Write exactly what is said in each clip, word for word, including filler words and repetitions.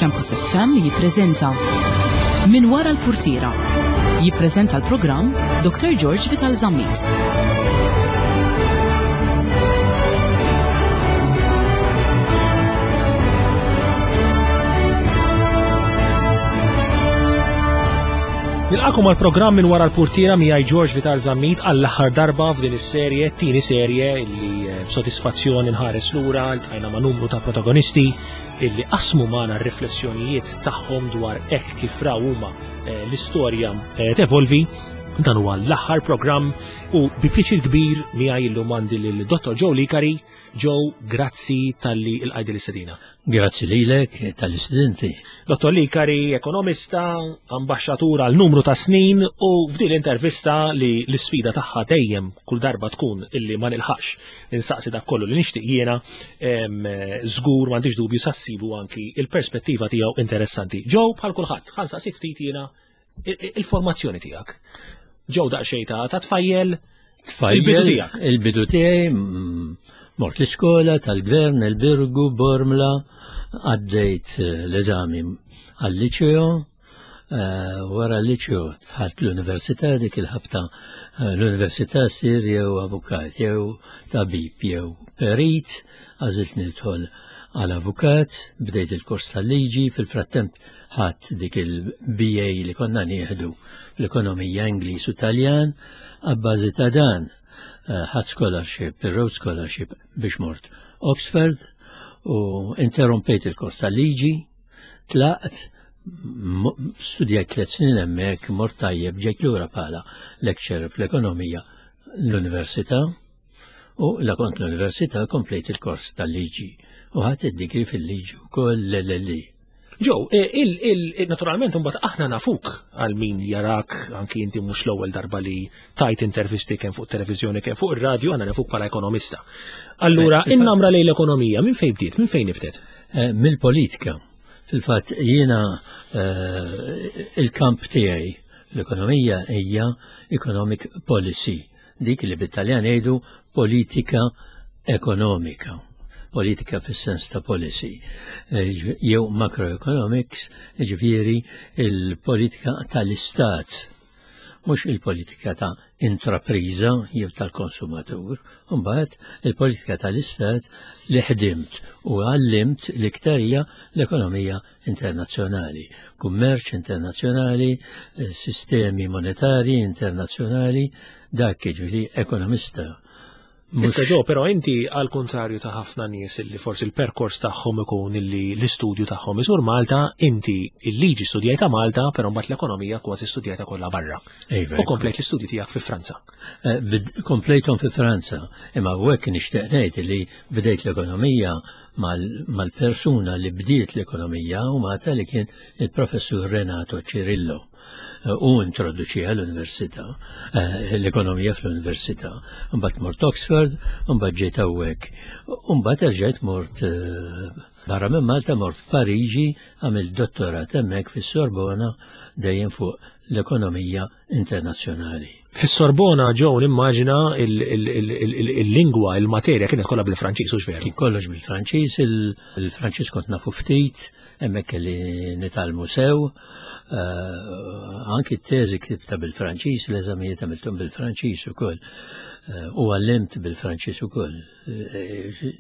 Campus F M jippreżenta Min Wara l-Purtiera. Jippreżenta l-programm Doctor George Vital Zammit. Nilqagħkom għal programm Minn Wara l-Purtiera miegħi George Vital Zammit għall-aħħar darba f'din is-serje, tieni serje illi eh, b'sodisfazzjoni nħares lura ltqajna ma' numru ta' protagonisti illi qasmu magħna r-riflessjonijiet tagħhom dwar hekk kif raw huma eh, l-istorja eh, tevolvi. Dan huwa l-aħħar programm u bi pjaċir kbir miegħi illum għandi lil Dottor Joe Licari. Joe, grazzi talli lqajt l-istedina. Grazzi lilek tal-istudenti. Dottor Licari, ekonomista, ambaxxatur għal numru ta' snin, u f'din l-intervista li l-sfida tagħha dejjem kull darba tkun illi ma nilħaqx insaqsi dak kollu li nixtieq jiena, em, żgur m'għandix dubju sa ssibu anki il-perspettiva tiegħu interessanti. Joe, bħal kulħadd, ħa nsaqsi ftit jiena il-formazzjoni tiegħek. Joe daqsxejn ta' ta' tfajjel, Tfajjel, il-bidu tiegħek. Il-bidu tiegħi, mm, mort l-iskola tal-gvern, il-Birgu, Bormla, għaddejt eh, l-eżami għal-liċeo, eh, wara l-liċeo dħalt l-università. Dik il-ħabta eh, l-università sir jew avukat, jew tabib, jew perit, għażilt nidħol għal avukat, bdejt il-kors tal-liġi, fil-frattemp ħadt dik il-B A li konna nieħdu fl-ekonomija, Ingliż u Taljan. Abbażi ta' dan eh, ħadt scholarship, il-Rhodes Scholarship, biex mort Oxford u interrompejt il-kors tal-liġi, tlaqt, m- studjajt tliet snin hemmhekk, mort tajjeb, ġejt lura bħala lecturer fl-ekonomija l-università u la kont l-università komplejt il-kors tal-liġi u ħadt id-degree fil-liġi wkoll, l-L L D. Joe, eh, il, il, il, naturalment mbagħad aħna nafuk għal min jarak, anki inti mhux l-ewwel darba li tajt intervisti kemm fuq televiżjoni kemm fuq ir-radju, aħna nafuk bħala ekonomista. Allura, Eh, in-namra lejn l-ekonomija minn fejn bdiet, minn fejn nibtet? Eh, Mill-politika. Fil-fatt jiena eh, il-kamp tiegħi fl-ekonomija hija economic policy, dik li bit-Taljan jgħidu politika ekonomika. Politika fis-sens ta' policy, Eh, jew macroeconomics, ġifieri il-politika tal-istat, mhux il-politika ta' intrapriża jew tal-konsumatur. Mbagħad il-politika tal-istat li ħdimt u għallimt l-iktar hija l-ekonomija internazzjonali, kummerċ internazzjonali, eh, sistemi monetari internazzjonali, dak jiġifieri ekonomista. Mhux- Issa Joe, però inti għal kontrarju ta' ħafna nies li forsi il-perkors tagħhom ikun illi l-istudju tagħhom isur Malta, inti il-liġi studjajta Malta, però mbagħad l-ekonomija kważi studjajta kollha barra. Iva, U komplejt l-istudju tiegħek fi Franza. Eh, bid- Komplejthom fi Franza, imma hekk nixtieq ngħid li bdejt l-ekonomija mal- mal-persuna li bdiet l-ekonomija u Malta, li kien il-professur Renato Cirillo. Eh, U introduċiha l-università, eh, l-ekonomija fl-università. Mbagħad mort Oxford, mbagħad ġejt hawnhekk. Mbagħad erġajt mort eh, barra minn Malta, mort Pariġi, għamilt dottorat hemmhekk fis-Sorbona, dejjem fuq l-ekonomija internazzjonali. Fis-Sorbona, Joe, nimmaġina il- il- il- il- il-lingwa, il-materja kienet kollha bil-Franċiż, hux veru? Kien kollox bil-Franċiż, il- il-Franċiż kont nafu ftit, hemmhekk kelli nitgħallmu sew, eh, anki t-teżi ktibta bil-Franċiż, l-eżamijiet għamilthom bil-Franċiż ukoll, eh, u għallimt bil-Franċiż ukoll. Eh,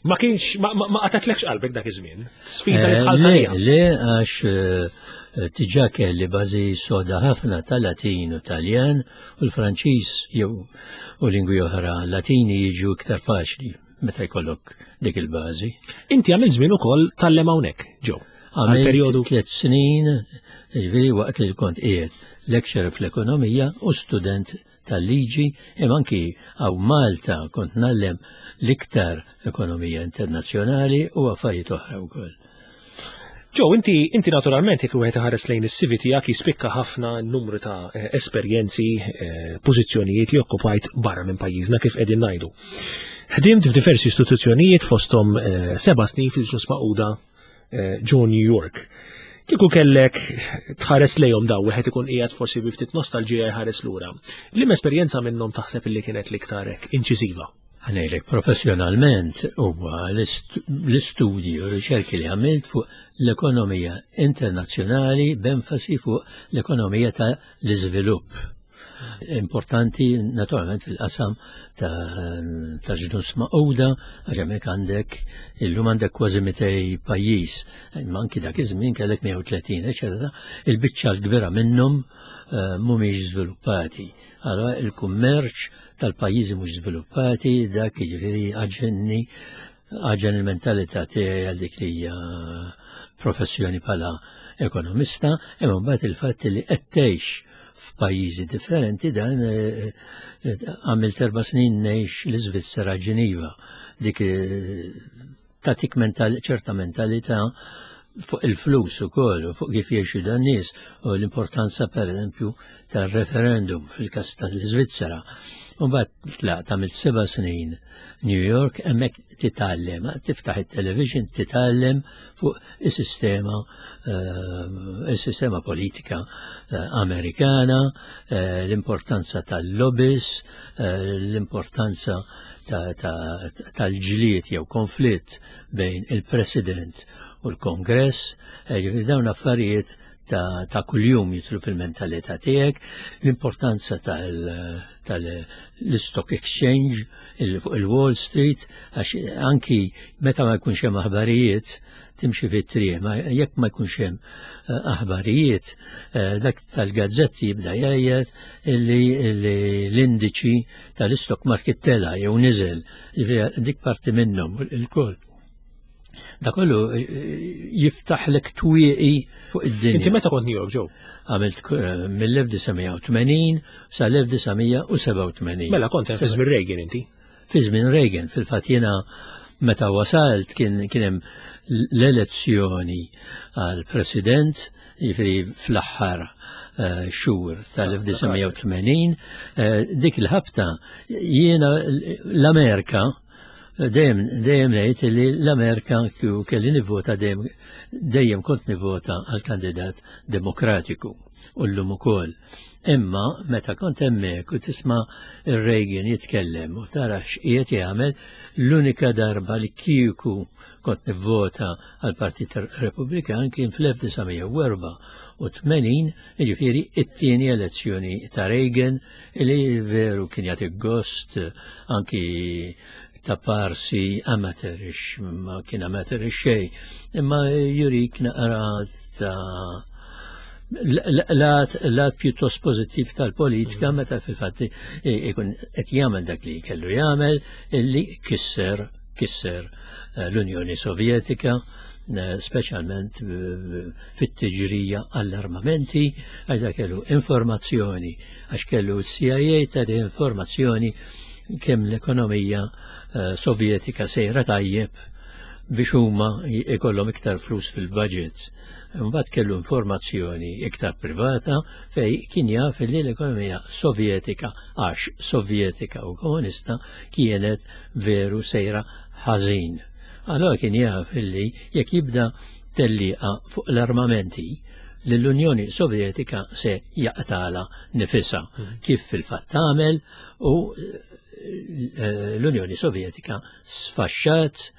Ma kienx, ma ma- ma qatatlekx qalbek dak iż-żmien? Sfida li Eh, dħalt Le, għalija. le, għax eh, diġà kelli bażi soda ħafna ta' Latin u Taljan, u l-Franċiż jew u lingwi oħra Latini jiġu iktar faċli meta jkollok dik il-bażi. Inti għamil żmien ukoll tgħallem hawnhekk, Joe. Għal Għamilt perjodu tliet snin, ġifieri waqt li kont qiegħed lecturer fl-ekonomija u student tal-liġi, imma anki hawn Malta kont ngħallem l-iktar ekonomija internazzjonali u affarijiet oħra wkoll. Joe, inti, inti naturalment jekk wieħed iħares lejn is-C V tiegħek jispikka ħafna n-numru ta' eh, esperjenzi, eh, pożizzjonijiet li okkupajt barra minn pajjiżna, kif qegħdin ngħidu. Ħdimt f'diversi istituzzjonijiet, fosthom eh, seba' snin fil-Ġnus Magħquda eh, ġo New York. Kieku kellek tħares lejhom daw, wieħed ikun qiegħed forsi bi ftit nostalġija jħares lura. Liema esperjenza minnhom taħseb illi kienet l-iktar hekk inċiżiva? Ħa ngħidlek, professjonalment huwa l-istudji u riċerki li għamilt fuq l-ekonomija internazzjonali, b'enfasi fuq l-ekonomija ta' l-iżvilupp. Importanti naturalment fil-qasam ta' Ġnus Magħquda, għax hemmhekk għandek, illum għandek kważi mitejn pajjiż, imma anki dak iż-żmien kellek mija u tletin, eċetera. Il-biċċa l-kbira minnhom eh, mhumiex żviluppati. Allora il-kummerċ tal-pajjiżi mhux żviluppati, dak jiġifieri għaġenni għaġen il-mentalità tiegħi għal dik li hija professjoni bħala ekonomista, imma mbagħad il-fatt li qed tgħix f'pajjiżi differenti, dan eh, eh, għamilt erba' snin ngħix l-Iżvizzera, Ġeniva. Dik eh, tatik mental, ċerta mentalità fuq il-flus ukoll u fuq kif jgħixu dan nies u l-importanza, per eżempju, tar-referendum fil-każ tal-Iżvizzera. U mbagħad tlaqt, għamilt seba' snin New York, hemmhekk titgħallem, tiftaħ it-television, titgħallem fuq is-sistema eh, is-sistema politika eh, Amerikana, eh, l-importanza tal-lobbies, l-importanza tal-ġlied jew konflitt bejn il-President u l-Kongress, ġifieri dawn affarijiet ta', ta kuljum jidħlu fil-mentalità tiegħek, l-importanza tal-stock exchange fuq il-Wall Street, għax anki meta ma jkunx hemm aħbarijiet, timxi fit-triq, ma jekk ma jkunx hemm eh, aħbarijiet, eh, dak tal-gazzetti jibda jgħid illi l-indiċi tal-stock market tela jew niżel, dik parti minnhom il-koll. Da kollu eh, jiftaħlek twieqi fuq id-dinja. Inti meta kont New York, Joe? Għamilt eh, mill-elf disa' mija u tmenin sa l-elf disa' mija u sebgħa u tmenin. Mela kont fi żmien Reagan inti? Fi żmien Reagan, fil-fatt jiena meta wasalt kien kien hemm l-elezzjoni għal president, jiġifieri fl-aħħar eh, xhur tal-elf disa' mija u tmenin, dik il-ħabta jiena l-Amerika dejjem dejjem ngħid li l-Amerika kieku kelli nivvota, dejjem dejjem kont nivvota għal kandidat Demokratiku u llum ukoll. Imma meta kont hemmhekk u tisma' ir-Reagan jitkellem u tara x'qiegħed jagħmel, l-unika darba li kieku kont nivvota għal Partit Repubblikan kien fl-elf disa' mija u erbgħa u tmenin, jiġifieri it-tieni elezzjoni ta' Reagan, li veru kien jagħti gost anki ta' parsi amateurish, ma kien amateurish xej, imma jurik naqra ta' lat lat pjuttost pozittiv tal-politika mm. meta fil-fatt ikun qed jagħmel dak li kellu jagħmel, illi kisser kisser eh, l-Unjoni Sovjetika, eh, speċjalment eh, fit-tiġrija għall-armamenti, għax kellu informazzjoni, għax kellu C I A ta' informazzjoni kemm l-ekonomija Sovjetika sejra tajjeb biex huma ikollhom iktar flus fil-budgets. Mbagħad kellu informazzjoni iktar privata fej kien jaf li l-ekonomija Sovjetika, għax Sovjetika u komunista, kienet veru sejra ħażin. Allora kien jaf li jekk jibda tellieqa fuq l-armamenti, l-Unjoni Sovjetika se jaqtagħlha nifisha, mm. kif fil-fatt tagħmel, u eh, l-Unjoni Sovjetika sfaxxat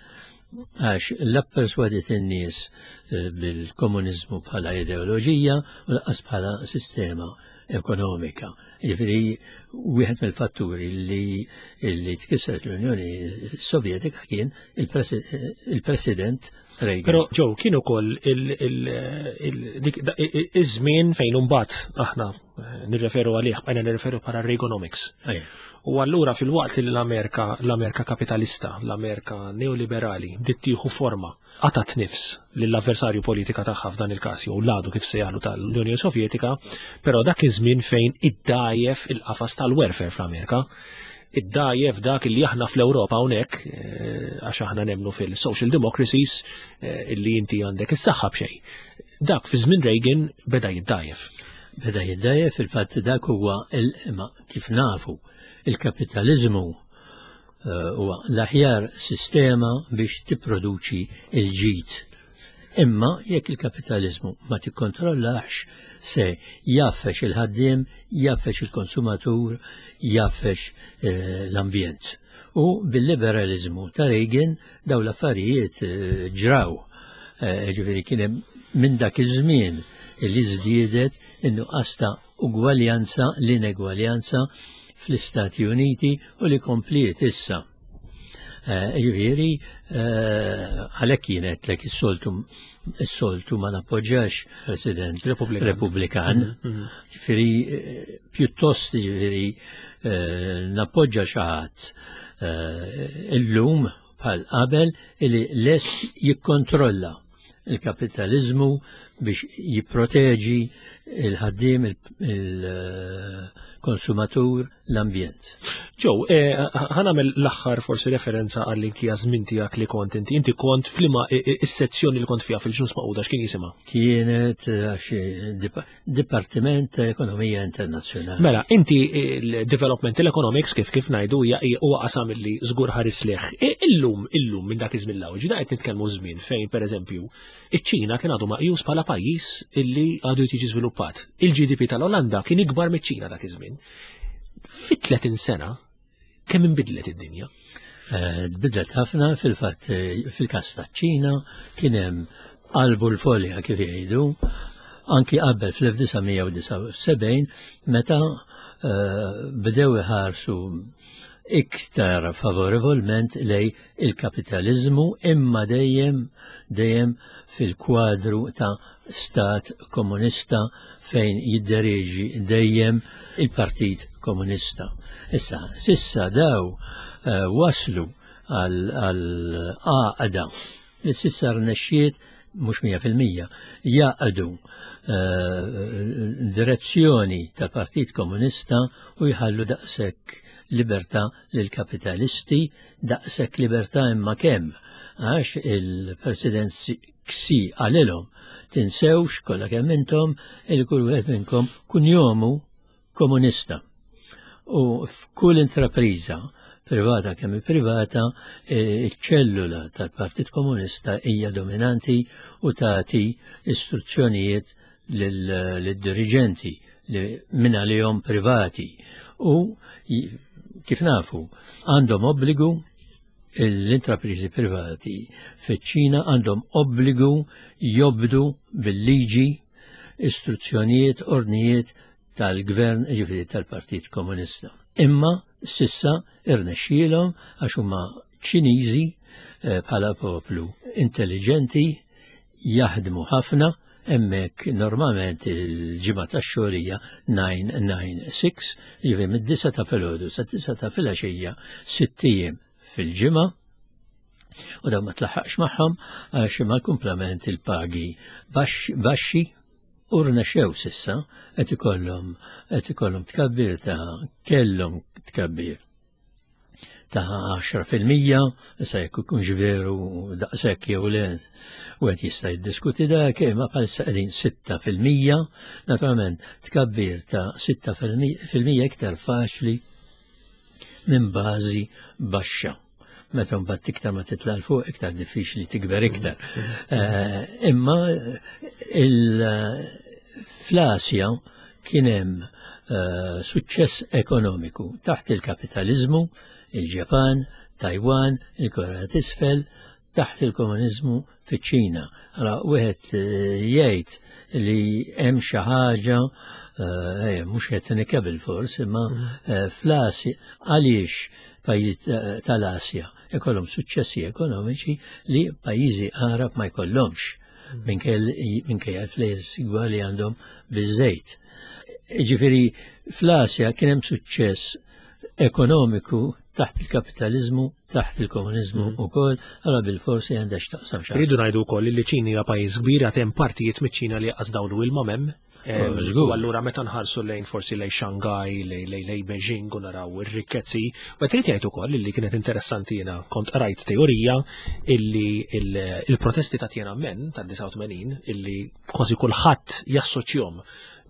għax la perswadiet in-nies eh, bil-komunizmu bħala ideoloġija u lanqas bħala sistema ekonomika. Ġifieri wieħed mill-fatturi li li tkissret l-Unjoni Sovjetika kien il-President Reagan. Però Joe, kien ukoll iż-żmien fejn imbagħad aħna eh, nirreferu għalih, bqajna nirreferu bħala Reaganomics. U allura fil-waqt li l-Amerika, l-Amerika kapitalista, l-Amerika neoliberali, bdiet tieħu forma, qatat nifs lill-avversarju politika tagħha, f'dan il-każ jew l-għadu kif sejjaħlu tal-Unjoni Sovjetika, però dak iż-żmien fejn iddajjef il-qafas tal-welfare fl-Amerika, iddajjef dak li aħna fl-Ewropa hawnhekk, eh, għax aħna nemnu fil-social democracies, eh, illi inti għandek is-saħħa b'xejn. Dak fi żmien Reagan beda jiddajjef. Beda jiddajjef, fil-fatt dak huwa, kif nafu, il-kapitalizmu eh, huwa l-aħjar sistema biex tipproduċi il-ġid. Imma jekk il-kapitalizmu ma tikkontrollax, se jaffex il-ħaddiem, jaffex il-konsumatur, jaffex eh, l-ambjent. U bil-liberalizmu ta' Reagan daw l-affarijiet ġraw. Ġifieri kien hemm minn dak iż-żmien li żdiedet in-nuqqas ta' ugwaljanza, l-inegwaljanza fl-Istati Uniti u li kompliet issa. Ġifieri għalhekk kienet lek is-soltu is-soltu ma nappoġġax President Repubblikan. Ġifieri pjuttost ġifieri nappoġġa xi ħadd illum bħal qabel li lest jikkontrolla il-kapitalizmu biex jipproteġi il-ħaddiem, il-konsumatur, l-ambjent. Ġew, ħa nagħmel l-aħħar forsi referenza għall-inki żmien tiegħek li kont inti. Inti kont f'liema is-sezzjoni li kont fiha fil-Ġnus Magħquda, x'kien jisimha? Kienet Dipartiment ta' Ekonomija Internazzjonali. Mela, inti il-Developmental Economics kif kif ngħidu hija huwa qasam li żgur ħares lejh. Illum, illum minn dak iż-żmien l ġida qed nitkellmu żmien fejn pereżempju iċ-Ċina kien għadu maqjus bħala pajjiż illi għadu jiġi żviluppat. Il-G D P tal-Olanda kien ikbar miċ-Ċina dak iż-żmien. Fit tletin sena kemm inbidlet id-dinja? Tbidlet ħafna. Fil-fatt, fil-każ taċ-Ċina kien hemm qalbu l-folja, kif jgħidu, anki qabel fl-elf disa' mija u disgħa u sebgħin meta bdew iħarsu iktar favorevolment lej il-kapitalizmu, imma dejjem dejjem fil-kwadru ta' stat komunista fejn jiddereġi dejjem il-Partit Komunista. Issa, sissa daw uh, waslu għal għaqda li sissa rnexxiet mhux mija fil-mija jaqdu uh, direzzjoni tal-Partit Komunista u jħallu daqshekk libertà lill-kapitalisti, daqshekk libertà imma kemm, għax il-President Xi qalilhom: "Tinsewx kollha kemm intom il kull wieħed minnkom kunjomu komunista." U f'kull intrapriża privata kemm privata, iċ-ċellula tal-Partit Komunista hija dominanti u tagħti istruzzjonijiet lid-dirigenti li minn għalihom privati u, kif nafu, għandhom obbligu, l-intrapriżi privati fiċ-Ċina għandhom obbligu jobdu bil-liġi istruzzjonijiet, ordnijiet tal-gvern, ġifieri tal-Partit Komunista. Imma sissa irnexxielhom għax huma Ċiniżi eh, bħala poplu intelligenti, jaħdmu ħafna. Hemmhekk normalment il-ġimgħa tax-xogħol hija nine nine six, jiġifieri mid-disgħa ta' filgħodu sa disgħa ta' filgħaxija, sitt ijiem fil-ġimgħa, u dawn ma tlaħħaqx magħhom għax mal-kumplament il-pagi baxxi. U rnexxew sissa, qed ikollhom qed ikollhom tkabbir ta' kellhom tkabbir ta' għaxra fil-mija, issa jekk ikunx veru daqshekk jew le, u qed jista' jiddiskuti dak, imma bħalissa qegħdin sitta fil-mija. Naturalment tkabbir ta' sitta fil-mija iktar faċli minn bażi baxxa. Meta mbagħad iktar ma titla' 'l fuq, iktar diffiċli tikber iktar. Eh, imma fl-Asja kien hemm eh, suċċess ekonomiku taħt il-kapitalizmu, il-Ġapan, Taiwan, il-Korea t'Isfel, taħt il-komunizmu fiċ-Ċina. Allora, wieħed eh, jgħid li hemm xi ħaġa, eh, mhux etnika bil-fors, imma eh, fl-Asja għaliex pajjiżi tal-Asja ikollhom suċċessi ekonomiċi li pajjiżi Arab ma jkollhomx minkejja l-flejjes li għandhom biżejt? Ġifieri fl-Asja kien hemm suċċess ekonomiku taħt il-kapitalizmu, taħt il-komunizmu mm. ukoll, għala bil-forsi għandha x'taqsam xi. Rridu ngħidu wkoll li ċina hija pajjiż kbir, għad hemm partijiet miċ-Ċina li qas dawlu ilma m'hemm. Oh, U allura meta nħarsu lejn forsi lejn Shanghai, lejn lejn Beijing u naraw ir-rikkezzi, u trid jgħid ukoll li kienet interessanti, jiena kont qrajt teorija illi il-protesti ta' Tiananmen tad-disgħa u tmenin, illi kważi kulħadd jassoċjahom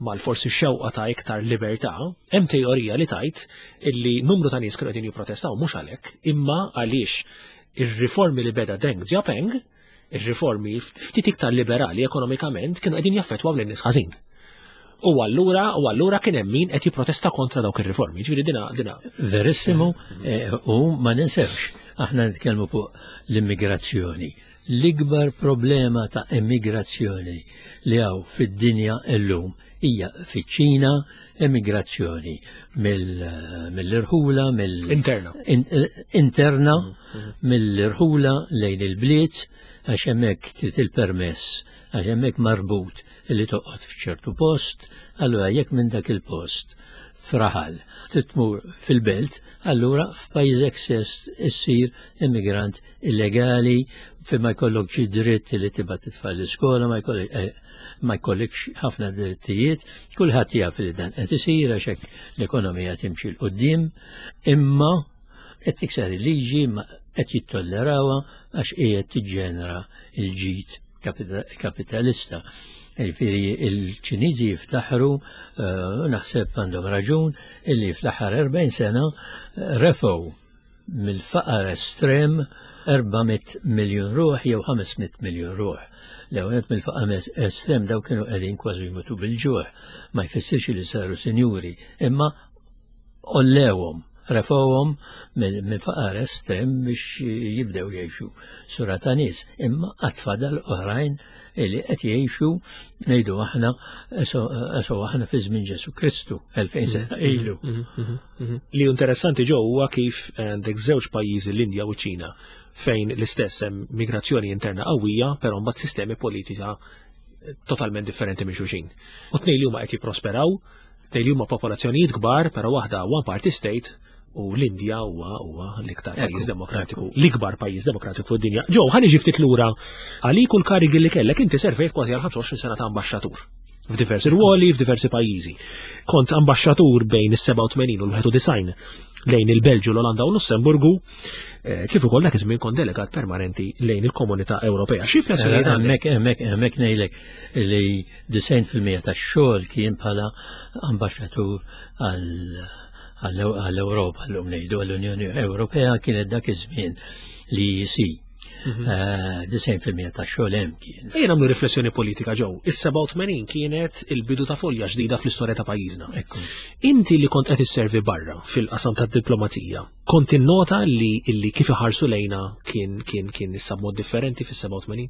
mal-forsi xewqa ta' iktar libertà, hemm teorija li tgħid illi numru ta' nies kienu qegħdin jipprotestaw mhux għalhekk, imma għaliex ir-riformi li beda Deng Xiaoping, ir-riformi ftit iktar liberali ekonomikament, kienu qegħdin jaffettwaw lin-nies ħażin. U allura u allura kien hemm min qed jipprotesta kontra dawk ir-riformi. Ġifieri dina dina. Verissimu, eh, u ma ninsewx, aħna nitkellmu fuq l-immigrazzjoni. L-ikbar problema ta' immigrazzjoni li hawn fid-dinja illum hija fiċ-Ċina, immigrazzjoni mill-irħula, mill Interna. Interna, mill-irħula lejn il-bliet, għax hemmhekk trid il-permess, għax hemmhekk marbut li toqgħod f'ċertu post, allura jekk minn dak il-post f'raħal tmur fil-belt, allura f'pajjiżek stess issir immigrant illegali, fi ma jkollok dritt li tibgħat it-tfal l-iskola, ma jkollok eh, ma jkollokx ħafna drittijiet, kulħadd jaf li dan qed isir għax hekk l-ekonomija timxi 'l quddiem, imma qed tikser il-liġi, ma qed jittollerawha għax qiegħed tiġġenera il-ġid kapitalista. Ġifieri il-Ċiniżi jiftaħru, eh, naħseb għandhom raġun, illi fl-aħħar erbgħin sena eh, refgħu mill-faqar estrem erba' mitt miljun ruħ jew ħames mitt miljun ruħ. L-ewwel mill-faqar estrem daw kienu qegħdin kważi jmutu bil-ġuħ, ma jfissirx li saru sinjuri, imma għollewhom, refgħuhom minn faqar estrem biex jibdew jgħixu sura ta' nies, imma għad fadal oħrajn li qed jgħixu, ngħidu aħna, eso aħna fi żmien Ġesu Kristu, elfejn sena ilu. Mhm, mhm, mhm. Li interessanti ġo huwa kif għandek żewġ pajjiżi, l-Indja u ċ-Ċina, fejn l-istess hemm migrazzjoni interna qawwija, però mbagħad sistemi politika totalment differenti minn xulxin. U tnejn li huma qed jipprosperaw, tnejn li huma popolazzjonijiet kbar, però waħda one party state u l-Indja huwa huwa l-iktar pajjiż demokratiku, l-ikbar pajjiż demokratiku fid-dinja. Ġo, ħa niġi ftit lura għalik u l-karigi li kellek. Inti servejt kważi għal ħamsa u għoxrin sena ta' ambaxxatur f'diversi ruoli, f'diversi pajjiżi. Kont ambaxxatur bejn is-sebgħa u tmenin u l-wieħed u disgħin lejn il-Belġu, l-Olanda u Lussemburgu, eh, kif ukoll dak iż-żmien kont delegat permanenti lejn il-Komunità Ewropea. Xi riflessjonijiet għandek? Hemmhekk hemmhekk hemmhekk ngħidlek li disgħin fil-mija tax-xogħol kien bħala ambaxxatur għall-Ewropa, llum ngħidu għall-Unjoni Ewropea, kienet dak iż-żmien l-E E C. Disgħin fil-mija tax-xogħol hemm kien. Ejja nagħmlu riflessjoni politika ġew. Is-sebgħa u tmenin kienet il-bidu ta' folja ġdida fl-istorja ta' pajjiżna. Ekku. Inti li kont qed isservi barra fil-qasam tad-diplomazija, kont innota li illi kif iħarsu lejna kien kien kien issa mod differenti fis-sebgħa u tmenin?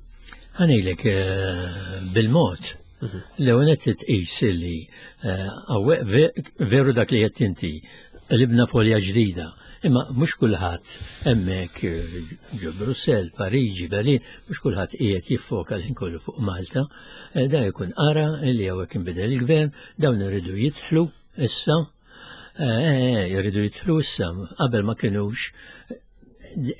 Ħa ngħidlek eh, bil-mod. L-ewwel qed tqis li eh, hawnhekk ve- veru dak li qed inti, qlibna folja ġdida. Imma mhux kulħadd hemmhekk eh, ġo Brussell, Pariġi, Berlin, mhux kulħadd qiegħed jiffoka l-ħin kollu fuq Malta. Eh, Da jkun qara li hawnhekk inbidel il-gvern, dawn iridu jidħlu issa, eh, jridu jidħlu issa, qabel ma kinux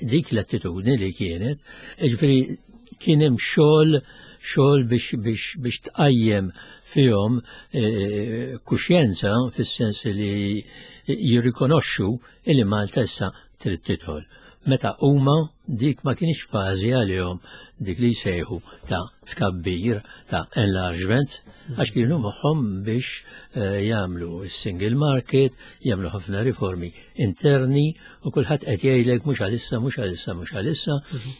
dik l-attitudni li kienet, ġifieri kien hemm xogħol xogħol biex biex biex tqajjem fihom eh, kuxjenza fis-sens li jirrikonoxxu li Malta issa trid tidħol. Meta huma dik ma kienx fażi għalihom dik li jsejħu ta' tkabbir, ta' enlargement, għax kienu moħħhom biex eh, jagħmlu single market, jagħmlu ħafna riformi interni u kulħadd qed jgħidlek mhux għalissa, mhux għalissa, mhux għalissa,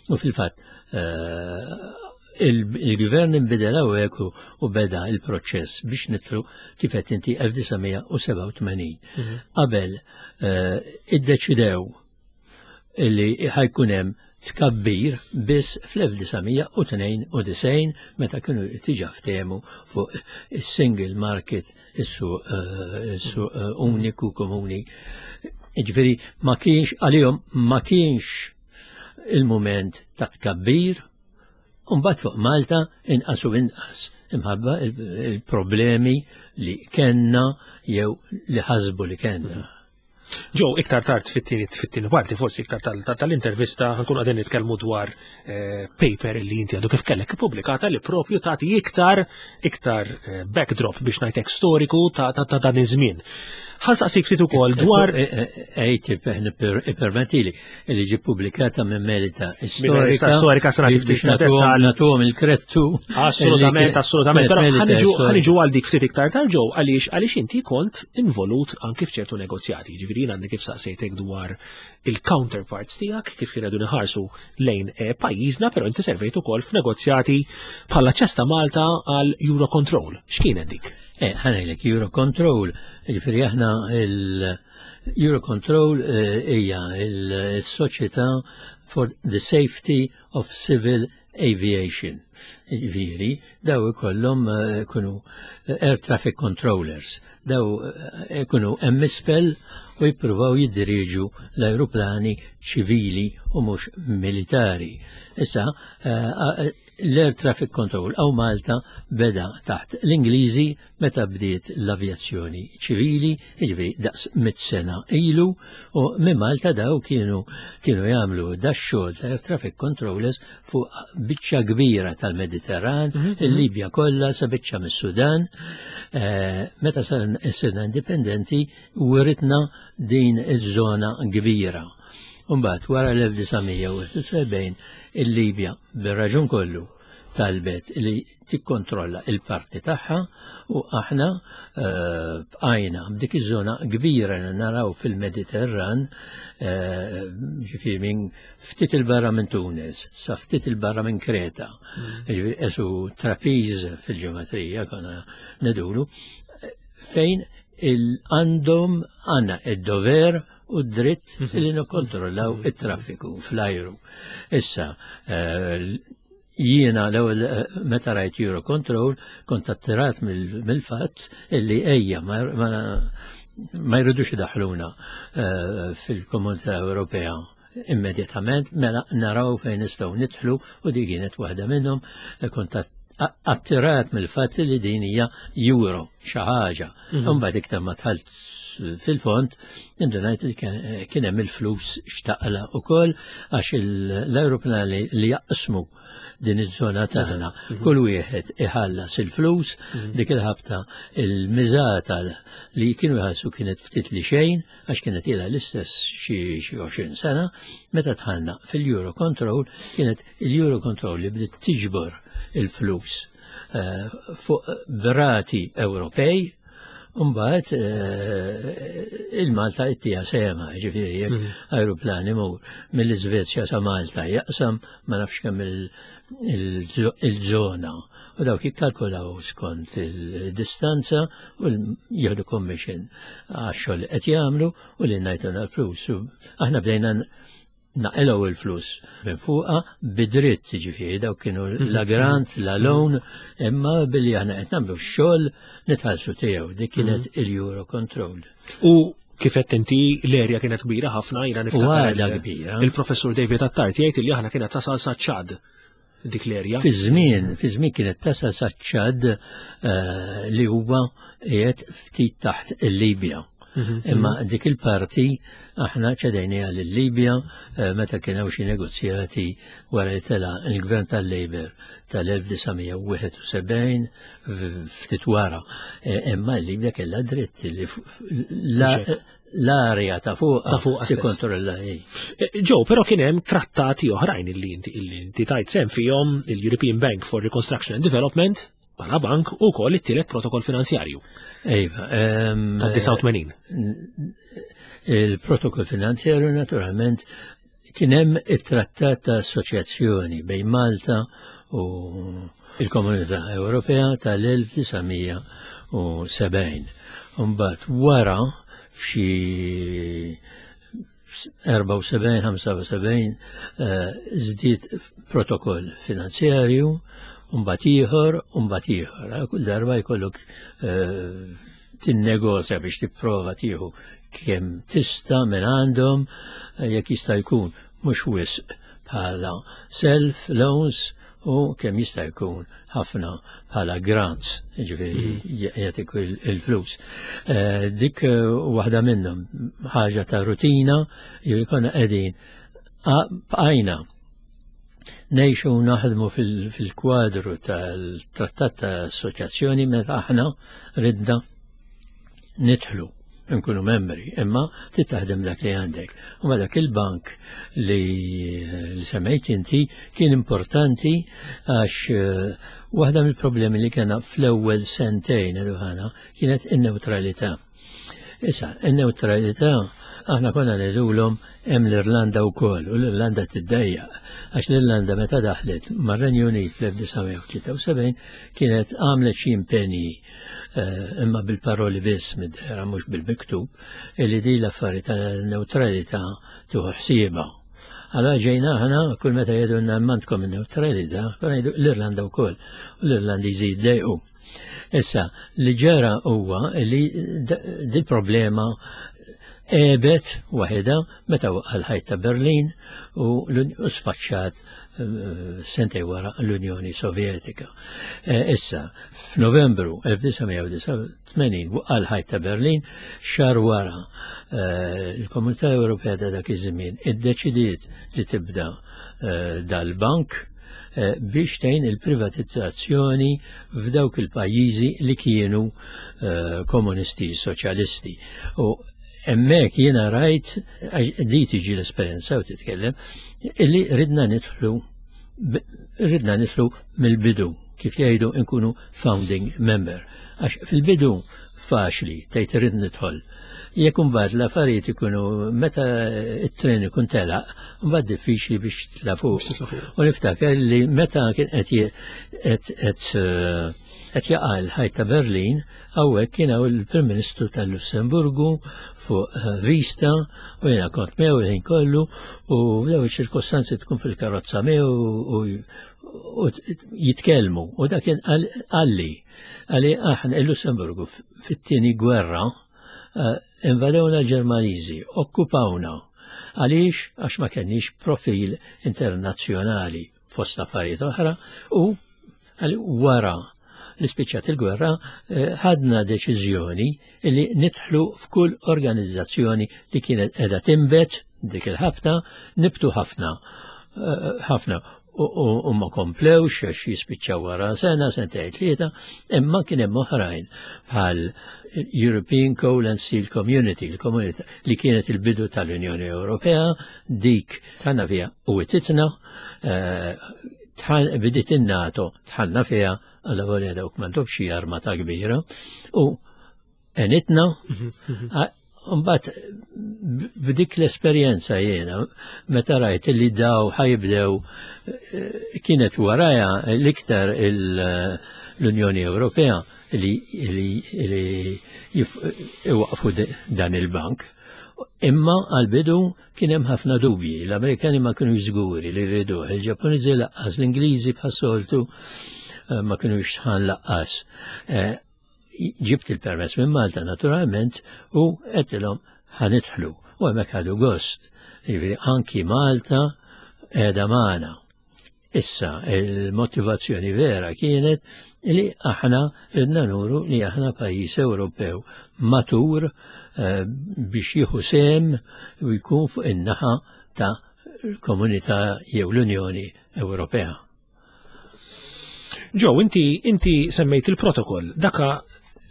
u fil-fatt eh, il-gvern inbidel hawnhekk u- u beda il-proċess biex nidħlu, kif qed inti, elf disa' mija u sebgħa u tmenin. Qabel eh, iddeċidew illi ħa jkun hemm tkabbir biss fl-elf disa' mija u tnejn u disgħin, meta kienu diġà ftehmu fuq is-single market, is-suq eh, is-suq eh, uniku komuni. Ġifieri ma kienx għalihom, ma kienx il-moment ta' tkabbir. Umbat fuq Malta inqas u inqas imħabba il-problemi li kenna jew li ħasbu li kenna. Ġo, iktar tard fit-tieni fit-tieni parti, forsi iktar tal-intervista, ħa nkunu qegħdin nitkellmu dwar eh, paper li inti għadu kif kellek ippubblikata li propju tagħti iktar iktar eh, backdrop, biex ngħidlek, storiku ta' dan iż-żmien. Ħa nsaqsik ftit ukoll dwar Ejti, permettili, li ġi pubblikata minn Melita Storika. Storika sena. Biex nagħtuhom il-krettu. Assolutament, assolutament. Però ħa niġu għal dik ftit iktar tard ġew, għaliex għaliex inti kont involut anki f'ċertu negozjati. Ġifieri għandi kif saqsejtek dwar il-counterparts tiegħek kif kienu iħarsu lejn eh, pajjiżna, però inti servejt ukoll f'negozjati bħala ċesta Malta għal Eurocontrol. X'kienet dik? Eh, ħa ngħidlek Eurocontrol, ġifieri aħna il-Eurocontrol hija il-Soċjetà for the Safety of Civil Aviation. Ġifieri, daw ikollhom ikunu air traffic controllers, daw ikunu hemm isfel u jippruvaw jiddiriġu l-aeroplani ċivili u mhux militari. Issa, l-air traffic control hawn Malta beda taħt l-Ingliżi meta bdiet l-avjazzjoni ċivili, jiġifieri daqs mit sena ilu, u minn Malta daw kienu kienu jagħmlu da xogħol ta' air traffic controllers fuq biċċa kbira tal-Mediterran, il-Libja kollha sa biċċa mis-Sudan. Meta sirna indipendenti wiritna din iż-żona kbira. Umbagħad wara l-elf disa' mija u sebgħin il-Libja bir-raġun kollu talbet li tikkontrolla il-parti tagħha u aħna bqajna b'dik iż-żona kbira li naraw fil-Mediterran, ġifieri minn ftit il-barra minn Tunis sa ftit il-barra minn Kreta. Ġifieri esu trapiż fil-ġeometrija konna nedulu fejn għandhom għandna id-dover u d-dritt li nikkontrollaw it-traffiku fl-ajru. Issa, jiena l-ewwel meta rajt Eurocontrol kont attirat mill-fatt illi ejja ma jridux idaħluna fil-Komunità Ewropea immedjatament, mela naraw fejn nistgħu nidħlu, u di kienet waħda minnhom. Kont attirat mill-fatt li din hija euro xi ħaġa. Imbagħad iktar ma dħalt fil-fond, indunajt li kien hemm il-flus x'taqla' ukoll, għax l-aeroplani li jaqsmu din iż-żona tagħna, kull wieħed iħallas il-flus. Dik il-ħabta il-miżata li kienu jħallsu kienet ftit li xejn, għax kienet ilha l-istess xi għoxrin sena. Meta dħalna fil-Euro Control, kienet il-Euro Control li bdiet tiġbor il-flus fuq brati Ewropej. Umbagħad il-Malta ittija sema, ġifieri jekk aeroplan imur mill-Iżvezja sa Malta jaqsam ma nafx kemm il-żona. U dawk jikkalkulaw skont il-distanza u jieħdu commission għax-xogħol li qed jagħmlu u li ngħiduna l-flus. Aħna bdejna naqilgħu il-flus minn fuqa bidritt, ġifieri daw kienu la grant, la loan, imma billi aħna qed nagħmlu x-xogħol nitħallsu tiegħu. Dik kienet il-Euro Control. U kif qed inti, l-erja kienet kbira ħafna, jiena niftakar. Għadha kbira. Il-professur David Attard jgħid li aħna kienet tasal sa Ċad dik l-erja. Fi żmien, fi żmien kienet tasal sa Ċad, li huwa qiegħed ftit taħt il-Libja. Imma dik il-parti aħna ċedejniha lil-Libja meta kien hawn xi negozjati wara li tela il-gvern tal-Labour tal-elf disa' mija u wieħed u sebgħin, ftit wara. Imma l-Libja kellha dritt li l-area ta' fuq Ta' fuqha stess. tikkontrolla hi. Ġo, però kien hemm trattati oħrajn illi inti illi inti tajt sem fihom, il-European Bank for Reconstruction and Development bħala bank u wkoll it-tielet protokoll finanzjarju Iva, ta' disgħa u tmenin. Il-protokoll finanzjarju, naturalment kien hemm it-trattat ta' assoċjazzjoni bejn Malta u il-Komunità Ewropea tal-elf disa' mija u sebgħin. Mbagħad wara f'xi erbgħa u sebgħin, ħamsa u sebgħin żdied protokoll finanzjarju, mbagħad ieħor, mbagħad ieħor. Kull darba jkollok tinnegozja biex tipprova tieħu kemm tista' minn għandhom, jekk jista' jkun mhux wisq bħala self loans u kemm jista' jkun ħafna bħala grants, ġifieri jagħtik il-flus. Dik waħda minnhom ħaġa ta' rutina, ġifieri konna qegħdin bqajna ngħixu u naħdmu fil-kwadru tal-trattat ta' assoċjazzjoni meta aħna ridna nidħlu nkunu membri, imma titaħdem dak li għandek. U ma dak il-bank li, li semmejt inti kien importanti, għax waħda mill-problemi li kena fl-ewwel sentejn ħana kienet in-neutralità. Issa, in-neutralità Aħna konna ngħidulhom hemm l-Irlanda wkoll u l-Irlanda tiddejjaq għax l-Irlanda meta daħlet mar-Renju Unit fl-elf disa' mija u tlieta u sebgħin kienet għamlet xi impenji, eh, imma bil-paroli biss mid-dehra, mhux bil-miktub, illi di l-affari tal-neutralità tieħu ħsiebha. Għala ġejna aħna kull meta jgħidulna m'għandkom il-neutralità, konna jgħidu l-Irlanda wkoll u l-Irlandiżi jiddejqu. Issa, li ġara huwa li dil problema għebet waħedha meta waqa' l-ħajt ta' Berlin u sfaċċat eh, sentejn wara l-Unjoni Sovjetika. Eh, issa, f'Novembru elf disa' mija u disgħa u tmenin waqa' l-ħajt ta' Berlin, xahar wara eh, il-Komunità Ewropea ta' dak iż-żmien iddeċidiet li tibda dal-bank biex tgħin il-privatizzazzjoni f'dawk il-pajjiżi li kienu komunisti soċjalisti. U hemmhekk jiena rajt, di tiġi l-esperjenza u titkellem, illi ridna nidħlu ridna nidħlu mill-bidu, kif jgħidu, nkunu founding member. Għax fil-bidu faċli tgħid irrid nidħol. Jekk imbagħad l-affarijiet ikunu meta it-tren ikun telaq, mbagħad diffiċli biex titla' fuq. U niftakar li meta kien qed qed qed jaqa' l-ħajt ta' Berlin, hawnhekk kien hawn il-Prim Ministru tal-Lussemburgu fuq eh, vista u jiena kont miegħu il-ħin kollu u f'dawn iċ-ċirkostanzi tkun fil-karozza miegħu u jitkellmu u dak kien qalli qalli aħna il-Lussemburgu fit-tieni gwerra eh, invadewna l-Ġermaniżi, okkupawna. Għaliex? Għax ma kenniex profil internazzjonali fost affarijiet oħra u wara li spiċċat il-gwerra eh, ħadna deċiżjoni li nidħlu f'kull organizzazzjoni li kienet qiegħda tinbet dik il-ħabta, nibtu ħafna eh, ħafna u ma komplewx għax jispiċċaw wara sena, sentejn, tlieta, imma kien hemm oħrajn bħal European Coal and Steel Community, il-komunità li kienet il-bidu tal-Unjoni Ewropea, dik dħalna fiha u wititna, eh, bdiet in-NATO, dħalna fiha għalla volja dawk m'għandhomx xi armata kbira u għenitna. Mbagħad b'dik l-esperjenza jiena meta rajt li daw ħa jibdew eh, kienet waraja l-iktar l-Unjoni Ewropea li li iwaqfu dan il-bank. Imma għal-bidu kien hemm ħafna dubji. L-Amerikani ma kienu żguri li rridu, il-Ġappuniżi lanqas, l-Ingliżi bħas-soltu eh, ma kienu sħan lanqas. Eh, ġibt il-permess minn Malta naturalment u għedtilhom ħa nidħlu. U hemmhekk ħadu gost. Jiġifieri anki Malta qiegħda magħna. Issa, il-motivazzjoni vera kienet li aħna ridna nuru li aħna pajjiż Ewropew matur eh, biex jieħu sehem u jkun fuq in-naħa ta' l-Komunità jew l-Unjoni Ewropea. Joe, inti, inti semmejt il-protokoll. Daka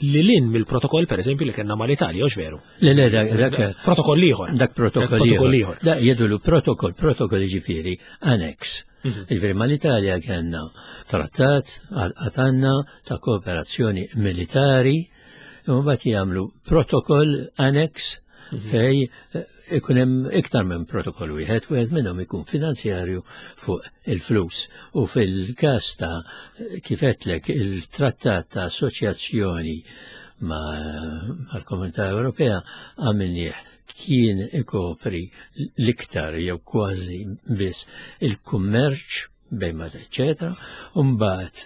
li lin mill-protokoll, per eżempju, li kellna mal-Italja, hux veru? Le, le, dak, dak, Protokoll ieħor. Dak protokoll protokoll ieħor. ieħor. Da jgħidulu protokoll, protokoll ġifieri annex. Mhm. Ġifieri mal-Italja kellna trattat għatanna ta' kooperazzjoni militari, u mbagħad jagħmlu protokoll annex Mhm. fej eh, ikun hemm iktar minn protokoll wieħed, wieħed minnhom ikun finanzjarju fuq il-flus. U fil-każ ta' kif għedtlek il-trattat ta' assoċjazzjoni ma' mal-Komunità Ewropea għamilnieh, kien ikopri l-iktar jew kważi biss il-kummerċ bejn ma eccetera, u mbagħad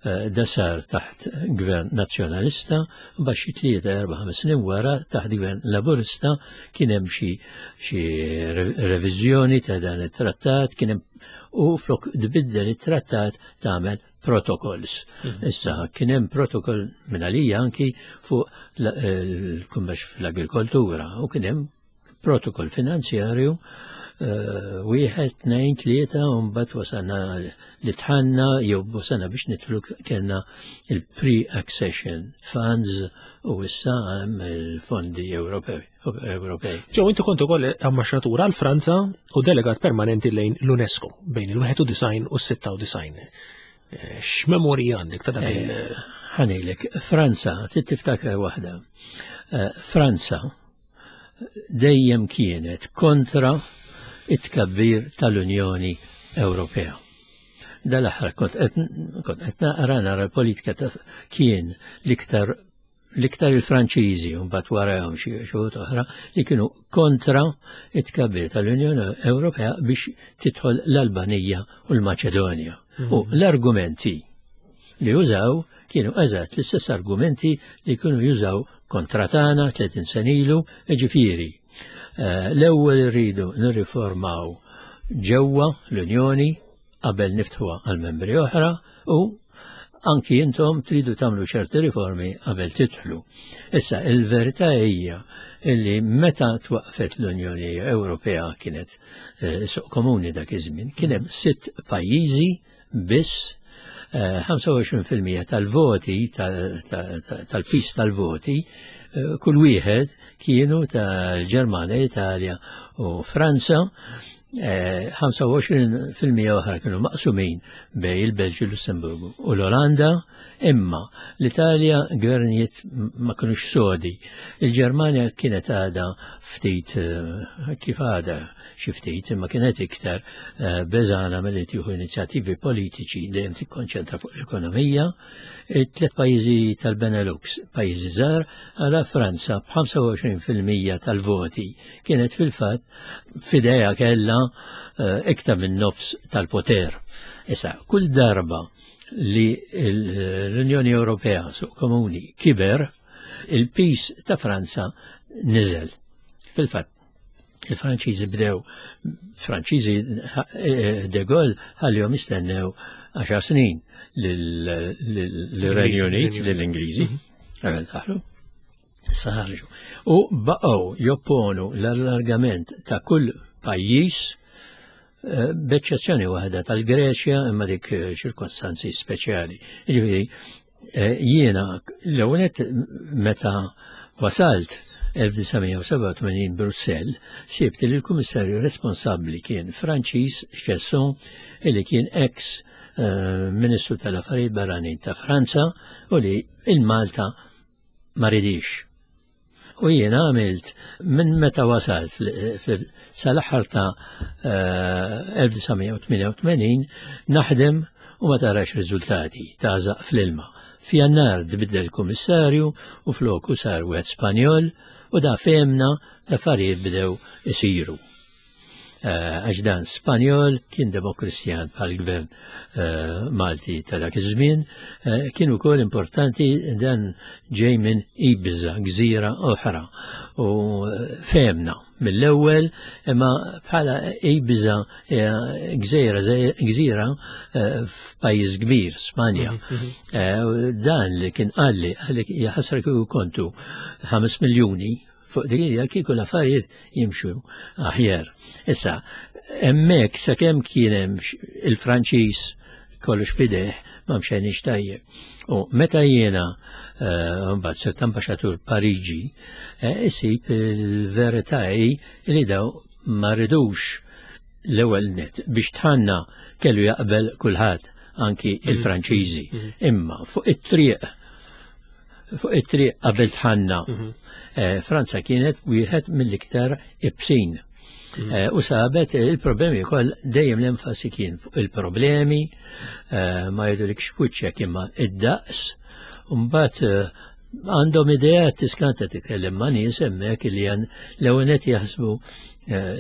eh, da sar taħt gvern nazzjonalista, u mbagħad xi tlieta erba' ħames snin wara taħt gvern laburista kien hemm xi xi reviżjoni ta' dan it-trattat, kien hemm u flok tbiddel it-trattat tagħmel protokolls. Mhm. Issa kien hemm protokoll minn għalija anki fuq il-kummerċ fl-agrikoltura u kien hemm protokoll finanzjarju eh, wieħed, tnejn, tlieta, u mbagħad wasalna li dħalna jew wasalna biex nidħlu, kellna il-pre-accession funds u issa hemm il-fondi Ewropej. Ewropej. Joe, inti kont ukoll ambaxxatur għal Franza u delegat permanenti lejn l-UNESCO bejn il-wieħed u disgħin u s-sitta u disgħin. Eh, X'memorji għandek ta' dak il- Ħa ngħidlek, Franza, trid tiftakar waħda. Eh, Franza dejjem kienet kontra it-tkabbir tal-Unjoni Ewropea. Dal-aħħar kont qed naqra nara l-politika ta' kien l-iktar l-iktar il-Franċiżi u mbagħad warahom xi xi oħra li kienu kontra it-tkabbir tal-Unjoni Ewropea biex tidħol l-Albanija u l-Maċedonja. U l-argumenti li użaw kienu eżatt l-istess argumenti li kienu jużaw kontra tagħna tletin sena ilu, jiġifieri. L-ewwel irridu nirriformaw ġewwa l-Unjoni qabel niftħuha għal membri oħra u anki intom tridu tagħmlu ċerti riformi qabel tidħlu. Issa il-verità hija li meta twaqfet l-Unjoni Ewropea kienet suq komuni dak iż-żmien, kien hemm sitt pajjiżi biss, ħamsa u għoxrin fil-mija tal-voti, tal-pis tal-voti, kull wieħed kienu tal-Ġermanja, Italja u Franza, ħamsa u għoxrin fil-mija oħra kienu maqsumin bej il-Belġju, Lussemburgu u l-Olanda, imma l-Italja gvernijiet ma kinux sodi. Il-Ġermanja kienet għadha ftit, kif għadha xi ftit, imma kienet iktar beżana milli tieħu inizjattivi politiċi dejjem tikkonċentra fuq l-ekonomija. It-tliet pajjiżi tal-Benelux, pajjiżi żgħar, għala Franza b'ħamsa u għoxrin fil-mija tal-voti kienet fil-fatt f'idejha kellha iktar minn nofs tal-poter. Issa, kull darba li l-Unjoni Ewropea suq komuni kiber, il-pis ta' Franza niżel. Fil-fatt, il-Franċiżi bdew, Franċiżi de Gaulle ħallihom jistennew għaxar snin lill-Renju Unit, lill-Ingliżi, qabel daħlu. Issa ħarġu. U baqgħu jopponu l-allargament ta' kull pajjiż, b'eċċezzjoni waħda tal-Greċja, imma dik ċirkostanzi speċjali. Jiġifieri, jiena l-ewwel nett meta wasalt elf disa' mija u sebgħa u tmenin Brussell, sibt li l-kummissarju responsabbli kien Franċiż Chasson, illi kien ex Ministru tal-Affarijiet Barranin ta' Franza u li il-Malta ma ridix. U jiena għamilt minn meta wasalt sal-aħħar ta' elf disa' mija u tmienja u tmenin naħdem u ma tarax riżultati, tażaq fl-ilma. F'Jannar tbiddel kummissarju u floku sar wieħed Spanjol u da fehmna l-affarijiet bdew isiru. Għax dan Spanjol kien demokristjan bħal-gvern Malti ta' dak iż-żmien, kien ukoll importanti dan ġej minn Ibiza, gżira oħra. U fehmna mill-ewwel, imma bħala Ibiza gżira, gżira f'pajjiż kbir, Spanja. Dan li kien qalli, qalli jaħasra kieku kontu ħames miljuni fuq dik hija kieku l-affarijiet jimxu aħjar. Issa, hemmhekk sakemm kien hemm il-Franċiż kollox f'idejh ma mxejniex tajjeb. U meta jiena mbagħad sirt ambaxxatur Pariġi, isib il-verità hi li daw ma ridux l-ewwel net biex tħanna kellu jaqbel kulħadd, anki il-Franċiżi. Imma fuq it-triq fuq it-triq qabel tħanna, Franza kienet wieħed mill-iktar ibsin. U sabet il-problemi wkoll dejjem l-enfasi kien fuq il-problemi, ma jgħidulikx f'wiċċek imma id-daqs, u mbagħad għandhom idea tiskanta titkellem ma' nies hemmhekk li l-ewwel qed jaħsbu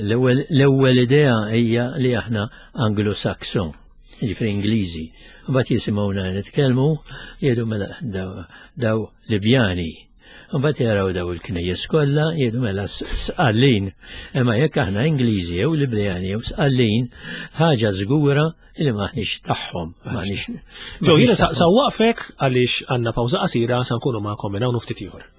l-ewwel idea hija li aħna Anglo-Saxon, jiġifieri Ingliżi. Mbagħad jisimgħuna nitkellmu jgħidu mela daw Libjani. Mbagħad jaraw daw il-knejjes kollha jgħidu mela Sqallin. Imma jekk aħna Ingliżi jew Libjani jew Sqallin, ħaġa żgura li m'aħniex tagħhom, m'aħniex. Ġew jiena sa waqfek għaliex għandna pawża qasira sa nkunu magħkom minn hawn ftit ieħor.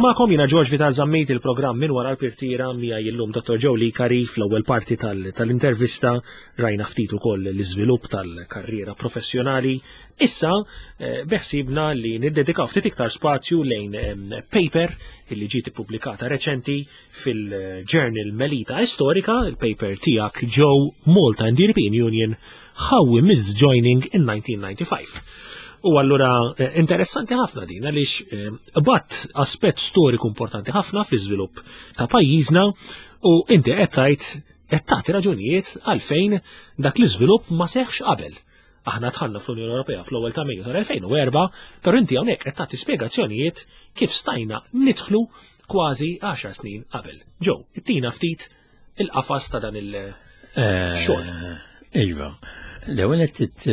magħkom, jiena George Vital Zammit, il-programm Minn Wara l-Purtiera, miegħi llum Dottor Joe Licari. Fl-ewwel parti tal-intervista rajna ftit ukoll l-iżvilupp tal-karriera professjonali. Issa eh, beħsibna li niddedikaw ftit iktar spazju lejn paper illi ġiet ippubblikata reċenti fil-Journal Melita Historica, il-paper tiegħek, Joe, Malta and the European Union, How We Missed Joining in nineteen ninety-five. U allura eh, interessanti ħafna din għaliex eh, bat aspett storiku importanti ħafna fl-iżvilupp ta' pajjiżna u inti qed tgħid, qed tagħti raġunijiet għalfejn dak l-iżvilupp ma seħħx qabel. Aħna dħalna fl-Unjoni Ewropea fl-ewwel ta' Mejju tal-elfejn u erbgħa, però inti hawnhekk qed tagħti spjegazzjonijiet kif stajna nidħlu kważi għaxar snin qabel. Joe, ittina ftit il-qafas ta' dan il-xogħol. Eh, iva, l-ewwel qed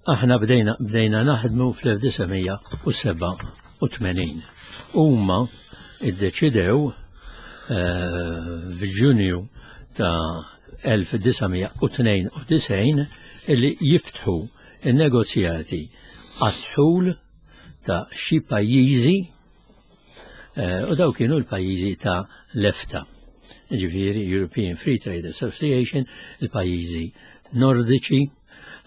aħna bdejna bdejna naħdmu fl-elf disa' mija u sebgħa u tmenin. Huma iddeċidew eh, f'Ġunju ta' elf disa' mija u tnejn u disgħin illi jiftħu il-negozjati għad-dħul ta' xi pajjiżi eh, u daw kienu l-pajjiżi ta' l-EFTA. Ġifieri European Free Trade Association, il-pajjiżi nordiċi,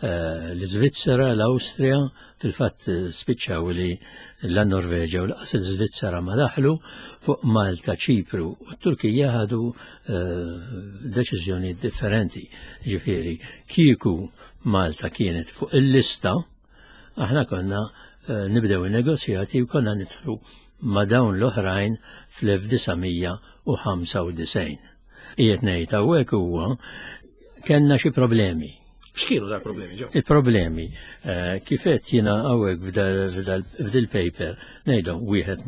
eh, l-Svizzera, l-Awstrija, fil-fatt eh, spiċċaw li la Norveġa u lanqas l-Svizzera ma daħlu. Fuq Malta, Ċipru u Turkija ħadu eh, deċiżjoni differenti. Ġifieri, kieku Malta kienet fuq il-lista, aħna konna nibdew il-negozjati u konna nidħlu ma' dawn l-oħrajn fl-elf disa' mija u ħamsa u disgħin. Qiegħed ngħid hawnhekk huwa kellna xi problemi. X'kienu dal problemi, Joe? Il-problemi, eh, kif qed jiena hawnhekk f'dil paper, ngħidhom wieħed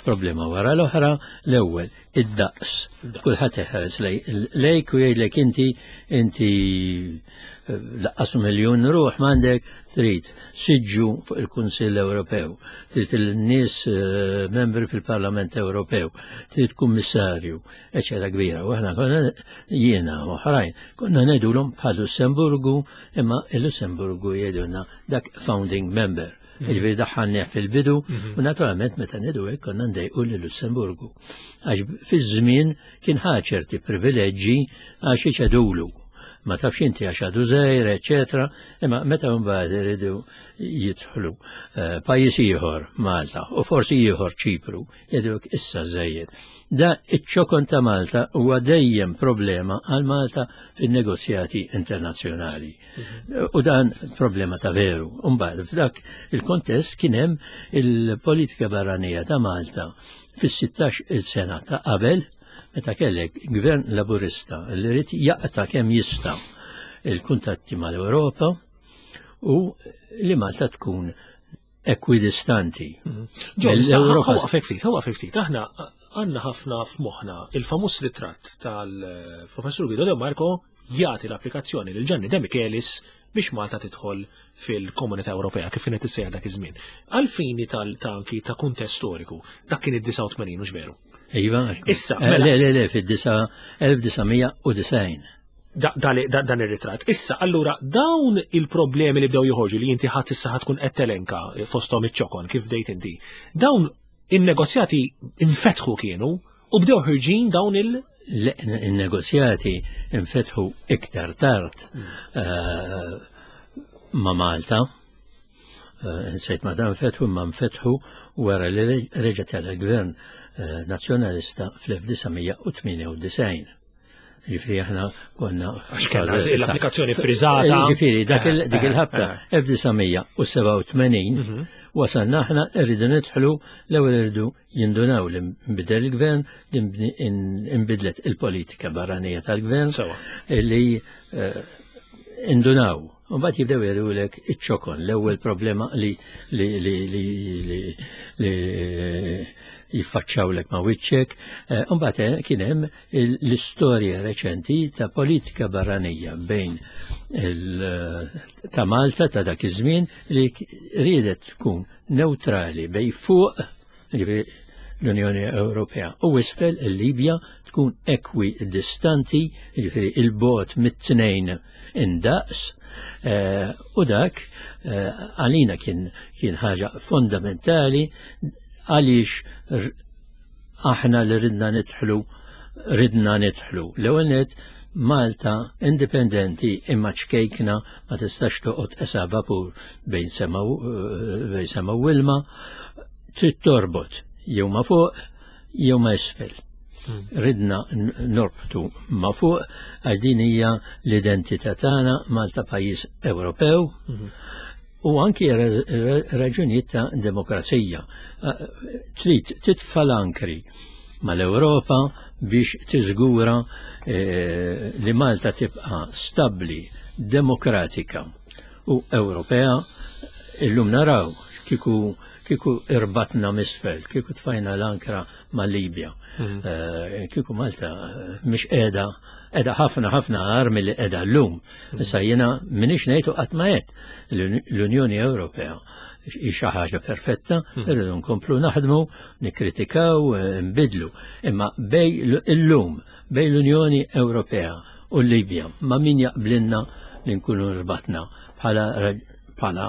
problema wara l-oħra. L-ewwel, id-daqs. Kulħadd iħares lejk u jgħidlek inti inti eh, lanqas miljun ruħ m'għandek, trid siġġu fuq il-Kunsill Ewropew, trid il-nies eh, membri fil-Parlament Ewropew, trid kummissarju, eċetera kbira. U aħna konna, jiena u oħrajn, konna ngħidulhom bħal Lussemburgu, imma il-Lussemburgu jgħidulna dak founding member. Mhm. Ġifieri daħħalnieh fil-bidu mhm. u naturalment meta ngħidu hekk konna ndejqu lil Lussemburgu. Għax fiż-żmien kien ħa ċerti privileġġi għax iċedulu. Ma tafx inti għax għadu żgħir, eċetera, imma meta mbagħad iridu jidħlu eh, pajjiż ieħor Malta u forsi ieħor Ċipru, jgħidulek issa żejjed. Da iċ-ċokon ta' Malta huwa dejjem problema għal Malta fin-negozjati internazzjonali. U dan problema ta' veru. Mbagħad f'dak il-kontest kien hemm il-politika barranija ta' Malta fis-sittax il-sena ta' qabel, meta kellek gvern laburista li ried jaqta' kemm jista' il-kuntatti mal-Ewropa u li Malta tkun ekwidistanti. L-Ewropa. Ftit, huwa ftit, aħna għandna ħafna f'moħħna il-famuż ritratt tal-professur Guido De Marco jagħti l-applikazzjoni lil Gianni De Michelis biex Malta tidħol fil-Komunità Ewropea, kif kienet issejjaħ dak iż-żmien. Għal-fini tal-tanki ta' kuntest storiku, dak kien id-disgħa u tmenin, mhux veru? Iva, Issa, eh, mela. Le, le, le, fid-elf disa' mija u disgħin. Da- da- da- dan ir-ritratt. Issa, allura, dawn il-problemi li bdew joħorġu li inti ħadd issa ħa tkun qed telenka fosthom iċ-ċokon kif bdejt inti. Dawn in-negozjati infetħu kienu u bdew ħirġin dawn il- Le, il-negozjati infetħu iktar tard eh, ma' Malta. Eh, Nsejt ma dan fetħu, ma nfetħu wara li reġa' tal-gvern eh, nazzjonalista fl-elf disa' mija u tmienja u disgħin. Ġifieri aħna konna Għax kellha l-applikazzjoni friżata. Ġifieri dak il- dik Eh, il-ħabta eh. elf disa' mija u sebgħa u tmenin wasalna aħna rridu nidħlu, l-ewwel irridu jindunaw li nbidel il-gvern, li nbni- in- inbidlet il-politika barranija tal-gvern Sewa. li eh, indunaw. U mbagħad jibdew jgħidulek iċ-ċokon, l-ewwel problema li li li li li, li jiffaċċawlek ma' wiċċek. Eh, U mbagħad eh, kien hemm il- l-istorja reċenti ta' politika barranija bejn il- ta' Malta ta' dak iż-żmien li k- riedet tkun neutrali bejn fuq, ġifieri l-Unjoni Ewropea, u isfel il-Libja, tkun ekwidistanti, ġifieri il-bogħod mit-tnejn indaqs, eh, u dak eh, għalina kien kien ħaġa fondamentali. Għaliex aħna li ridna nidħlu, ridna nidħlu. L-ewwel nett, Malta indipendenti imma ċkejkna, ma tistax toqgħod esa vapur bejn sema bejn sema u ilma, trid torbot jew ma fuq jew ma isfel. Ridna norbtu ma fuq għax din hija l-identità tagħna, Malta pajjiż Ewropew, u anki raġunijiet ta' demokrazija. Trid titfa' l-ankri mal-Ewropa biex tiżgura li Malta tibqa' stabbli, demokratika u Ewropea. Illum naraw kieku kieku irbatna misfel, kieku tfajna l-ankra ma' Libja. Kieku Malta mhix qiegħda qiegħda ħafna ħafna agħar milli qiegħda llum. Issa jiena m'iniex ngħid u qatt ma għedt l-Unjoni Ewropea hi xi ħaġa perfetta, irridu nkomplu naħdmu, nikkritikaw, nbidlu. Imma bejn illum, bejn l-Unjoni Ewropea u l-Libja, ma' min jaqblinna li nkunu rbatna bħala bħala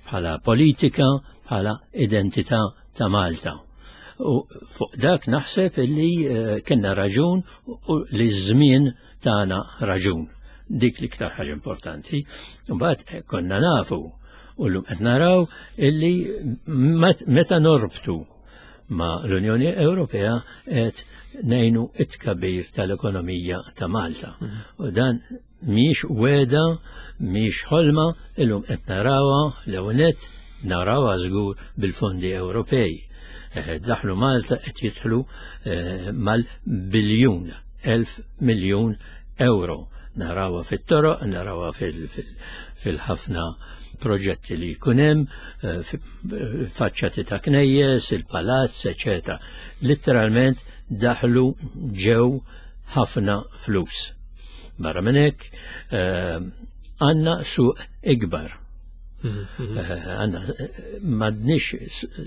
bħala politika, bħala identità ta' Malta. U fuq dak naħseb illi kellna raġun u li ż-żmien tagħna raġun. Dik l-iktar ħaġa importanti. Mbagħad konna nafu u llum qed naraw illi meta norbtu ma' l-Unjoni Ewropea qed ngħinu it-tkabbir tal-ekonomija ta' Malta. U dan mhix wegħda, mhix ħolma, illum qed narawha l-ewwel nett narawha żgur bil-fondi Ewropej. Daħlu Malta qed jidħlu mal-biljun, elf miljun euro. Narawha fit-toroq, narawha fil-ħafna proġetti li jkun hemm, faċċati ta' knejjes, il-palazz, eċetera. Literalment daħlu ġew ħafna flus. Barra minn hekk għandna suq ikbar. Għandna m'għandniex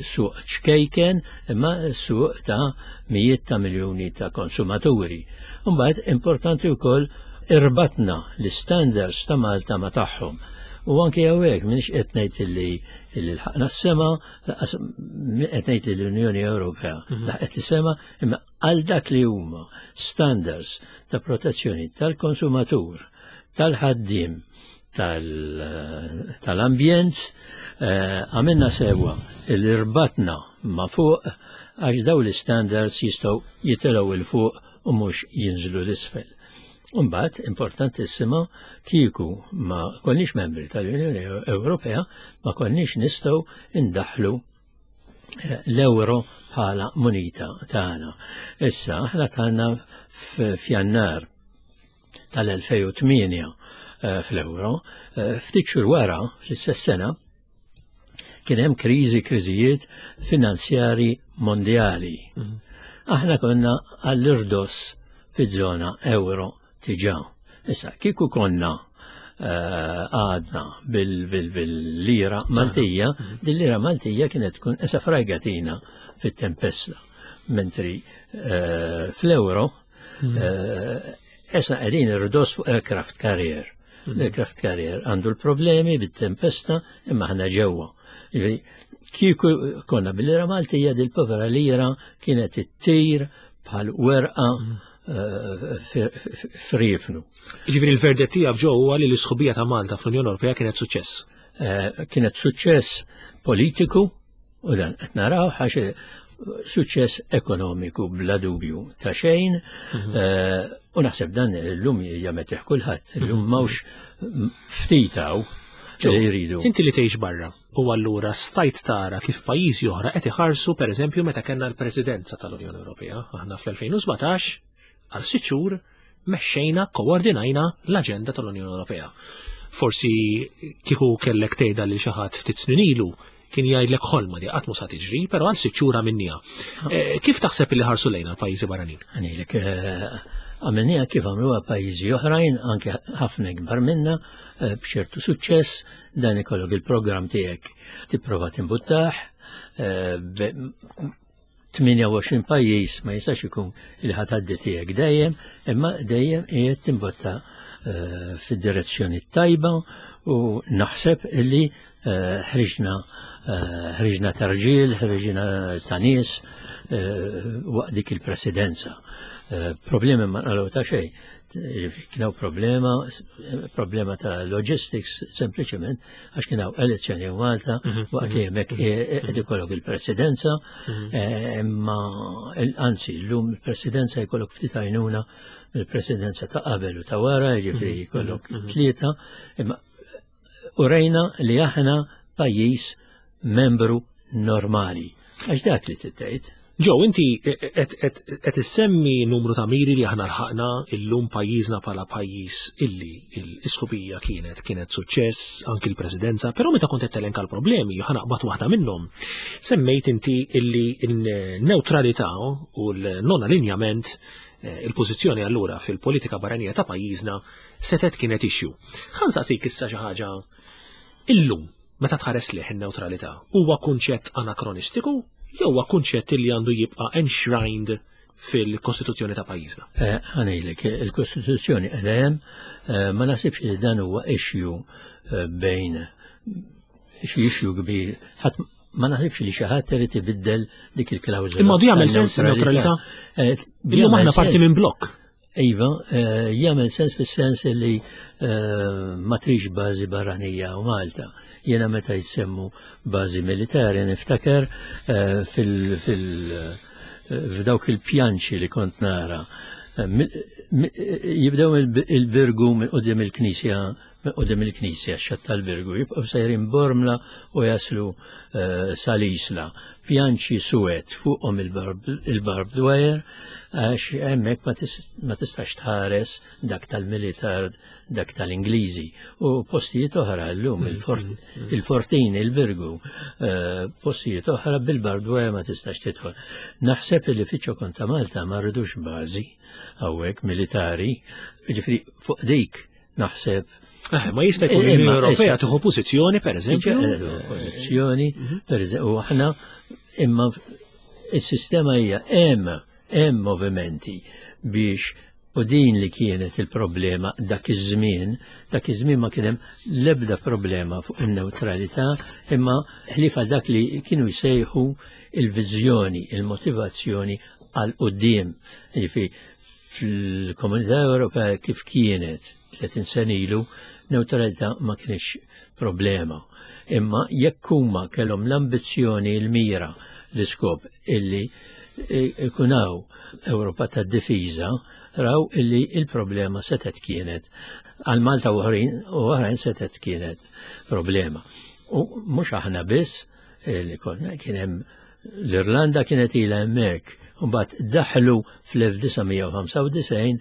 suq ċkejken, imma suq ta' mijiet ta' miljuni ta' konsumaturi. Mbagħad importanti wkoll irbatna l-standards ta' Malta ma' tagħhom. U anke hawnhekk m'iniex qed ngħid illi lħaqna s-sema, qed ngħid li l-Unjoni Ewropea laħqet is-sema, imma għal dak li huma standards ta' protezzjoni tal-konsumatur, tal-ħaddiem, tal-ambjent, għamilna sewa illi rbatna ma' fuq għax daw l-standards jistgħu jitilgħu 'l fuq u mhux jinżlu l-isfel. Mbagħad importantissima, kieku ma konniex membri tal-Unjoni Ewropea ma konniex nistgħu indaħlu l-euro bħala munita tagħna. Issa aħna tagħna f'Jannar tal-elfejn u tmienja fl-euro, ftit xhur wara fl-istess sena kien hemm kriżi, kriżijiet finanzjari mondjali. Aħna konna għall-irdos fiż-żona euro tiġa. Issa, kieku konna għadna bil-lira Maltija, dil-lira Maltija kienet tkun esa frajgatina fit-tempesta. Mentri fl-euro, esa qegħdin irdos fuq aircraft carrier. L-aircraft carrier għandu l-problemi bit-tempesta imma ħna ġewwa. Kieku konna bil-lira Maltija, dil-povera lira kienet ittir bħal werqa frifnu. Jiġifieri l-verdett tiegħek ġew huwa li l-isħubija ta' Malta fl-Unjoni Ewropea kienet suċċess. Kienet suċċess politiku u dan qed naraw għax suċċess ekonomiku bla dubju ta' xejn, u naħseb dan illum jametih kulħadd, illum m'hawnx ftit hawn li jridu. Inti li tgħix barra u allura stajt tara kif pajjiżi oħra qed iħarsu pereżempju meta kellna l-Presidenza tal-Unjoni Ewropea. Aħna fl-elfejn u sbatax għal sitt xhur mexxejna, koordinajna l-aġenda tal-Unjoni Ewropea. Forsi kieku kellek tgħidha lil xi ħadd ftit snin ilu kien jgħidlek ħolma di qatt mhu sa tiġri, però għal sitt xhur għamilniha. Kif taħseb li ħarsu lejna l-pajjiżi barranin? Għanilek, għamilniha kif għamluha pajjiżi oħrajn, anke ħafna ikbar minna, b'ċertu suċċess, dan ikollok il-programm tiegħek tipprova timbuttah, tmienja u għoxrin pajjiż ma jistax ikun li ħatgħaddi tiegħek dejjem, imma dejjem qiegħed timbotta fid-direzzjoni tajba u naħseb illi ħriġna ħriġna ta' rġiel, ħriġna ta' nies waqt dik il-presidenza. Problemi ma nqalgħu ta' xejn. Kien hawn problema, problema ta' logistics sempliċement għax kien hawn elezzjoni Malta waqt li hemmhekk qed ikollok il-presidenza, imma anzi llum il-presidenza jkollok ftit għajnuna mill-presidenza ta' qabel u ta' wara, jiġifieri jkollok tlieta, imma urejna li aħna pajjiż membru normali. Għax dak li tgħid. Joe, inti qed issemmi numru ta' miri li aħna lħaqna illum pajjiżna bħala pajjiż illi l-isħubija kienet kienet suċċess anki l-presidenza, però meta kont qed telenka l-problemi, ħa naqbad waħda minnhom. Semmejt inti illi n-neutralità u l-non allinjament, il-pożizzjoni allura fil-politika barranija ta' pajjiżna setet kienet issue. Ħa nsaqsik issa xi ħaġa illum meta tħares lejh in-neutralità huwa kunċett anakronistiku jew huwa kunċett li għandu jibqa' enshrined fil-Kostituzzjoni ta' pajjiżna? Ħa ngħidlek, il-Kostituzzjoni qiegħda hemm, ma nasibx li dan huwa issue bejn xi issue kbir, ħadd ma naħsibx li xi ħadd irid ibiddel dik il-klawżola. Imma għadu jagħmel sens in-neutralità? Illum aħna parti minn blokk. Iva, jagħmel sens fis-sens li ma trix bażi barranija u Malta. Jiena meta jsemmu bażi militari niftakar fil f'dawk il-pjanċi li kont nara. Jibdew il-Birgu minn quddiem il-Knisja, quddiem il-Knisja, x-xatt tal-Birgu, jibqgħu sejrin Bormla u jaslu sal-Isla. Pjanċi suwed fuqhom il-barbed wire, għax hemmhekk ma tistax tħares dak tal-militar, dak tal-Ingliżi. U postijiet oħra llum, il-Fortin, il-Birgu, postijiet oħra bil-barbed wire ma tistax tidħol. Naħseb li fiċ-ċokon ta' Malta ma rridux bażi hawnhekk militari, jiġifieri fuq dik naħseb. Ma jista' jkun l-Unjoni Ewropea tieħu pożizzjoni pereżempju. Pożizzjoni, pereżempju, u aħna imma is-sistema hija hemm hemm movimenti biex, u din li kienet il-problema dak iż-żmien, dak iż-żmien ma kien hemm l-ebda problema fuq in-neutralità, imma ħlifa dak li kienu jsejħu il-viżjoni, il-motivazzjoni għal quddiem. Jiġifieri fil-Komunità Ewropea kif kienet tletin sena ilu, neutralità ma kienx problema. Imma jekk huma kellhom l-ambizzjoni, l-mira, l-iskop illi ikunaw Ewropa tad-difiża, raw illi il-problema setet kienet għal Malta u oħrajn setet kienet problema. U mhux aħna biss li konna, kien hemm l-Irlanda kienet ilha hemmhekk, u mbagħad daħlu fl-elf disa' mija u ħamsa u disgħin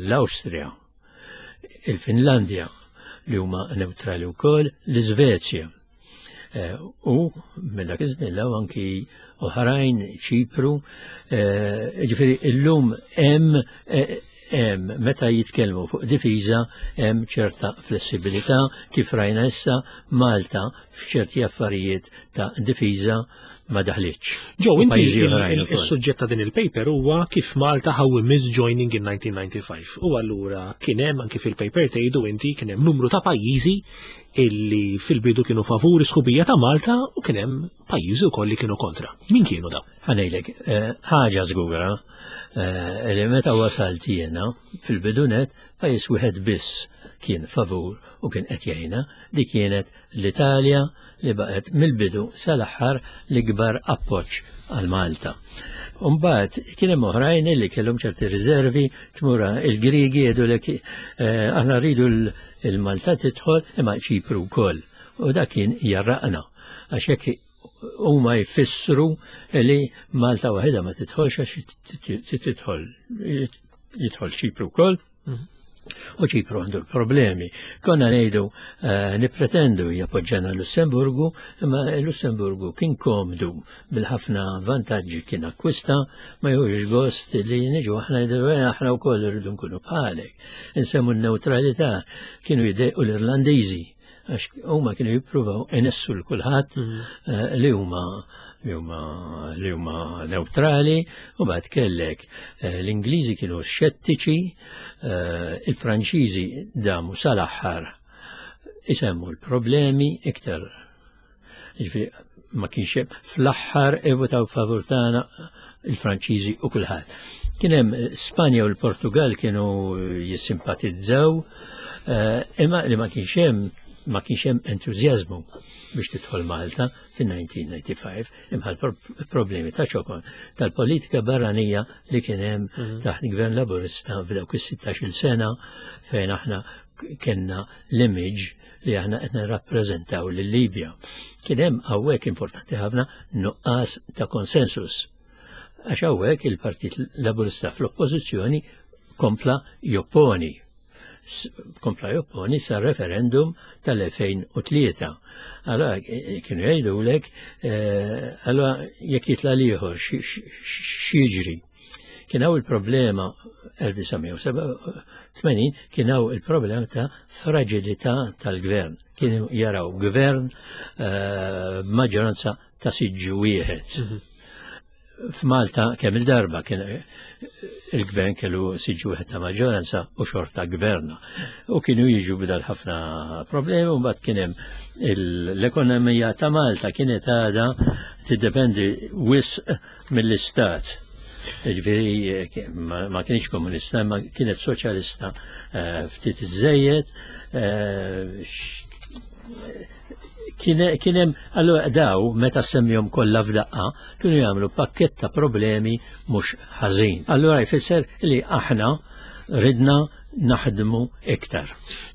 l-Awstrija, il-Finlandja li huma neutrali wkoll, l-Iżvezja. U minn dak iż-żmien law anki oħrajn, Ċipru, ġifieri illum hemm hemm meta jitkellmu fuq difiża hemm ċerta flessibilità kif rajna issa Malta f'ċerti affarijiet ta' difiża ma daħlitx. Joe, inti Pajjiżi il- oħrajn il- ukoll. is-suġġett ta' din il-paper huwa kif Malta how we miss joining in nineteen ninety-five. U allura kien hemm anki fil-paper tgħidu inti kien hemm numru ta' pajjiżi illi fil-bidu kienu favuri sħubija ta' Malta u kien hemm pajjiżi wkoll li kienu kontra. Min kienu dawn? Ħa ngħidlek, eh, ħaġa żgura, eh, li meta wasalt jiena fil-bidunet pajjiż wieħed biss kien favur u kien qed jgħinna, li kienet l-Italja li baqgħet mill-bidu sal-aħħar l-ikbar appoġġ għal Malta. Umbagħad kien hemm oħrajn li kellhom ċerti riservi, tmura il-Griegi jgħidulek, eh, aħna rridu l-, il-Malta tidħol imma Ċipru wkoll. U dak kien jarraqna għax hekk huma jfissru li Malta waħedha ma tidħolx għax tidħol jidħol Ċipru wkoll. U Ċipru għandu l-problemi. Konna ngħidu, eh, nippretendu jappoġġana Lussemburgu, imma Lussemburgu kien komdu bil-ħafna vantaġġi kien akkwista, ma jħux gost li niġu aħna ngħidu, eh, aħna wkoll irridu nkunu bħalek. Insemmu n-neutralità kienu jdejqu l-Irlandiżi, għax huma kienu jippruvaw inessu l kulħadd, Mhm. eh, li huma li huma li huma neutrali, u mbagħad kellek eh, l-Ingliżi kienu xettiċi, eh, il-Franċiżi damu sal-aħħar isemmu l-problemi iktar. Ġifieri ma kienx hemm, fl-aħħar ivvutaw favur tagħna il-Franċiżi u kulħadd. Kien hemm Spanja u l-Portugal kienu jissimpatizzaw, eh, imma li ma kienx hemm ma kienx hemm entużjażmu biex tidħol Malta fin-elf disa' mija u ħamsa u disgħin imma problemi ta' ċokon tal-politika barranija li kien hemm mhm. taħt gvern Laburista f'dawk is-sittax-il sena, fejn aħna kellna l-image li aħna qed nirrappreżentaw lil Libja. Kien hemm hawnhekk, importanti ħafna, nuqqas ta' konsensus. Għax hawnhekk il-Partit Laburista fl-oppożizzjoni kompla jopponi kompla jopponi sa referendum tal-elfejn u tlieta. Allora, eh, kienu jgħidulek, eh, allora jekk jitla l-ieħor x'jiġri? Kien hawn il-problema elf disa' mija u sebgħa u tmenin, kien hawn il-problema ta' fragilità tal-gvern. Kienu jaraw gvern eh, maġġoranza ta' siġġu wieħed. Mhm. F'Malta kemm il-darba kien il-gvern kellu siġġu wieħed ta' maġġoranza u xorta gverna. U kienu jiġu bidal ħafna problemi, u mbagħad kien hemm l-ekonomija ta' Malta kienet għadha tiddependi wisq mill-istat. Ġifieri ma kienx komunista, ma kienet soċjalista eh, ftit iżejjed. Eh, kien hemm allura daw, meta semmihom kollha f'daqqa, kienu jagħmlu pakkett ta' problemi mhux ħażin. Allura jfisser li aħna ridna naħdmu iktar.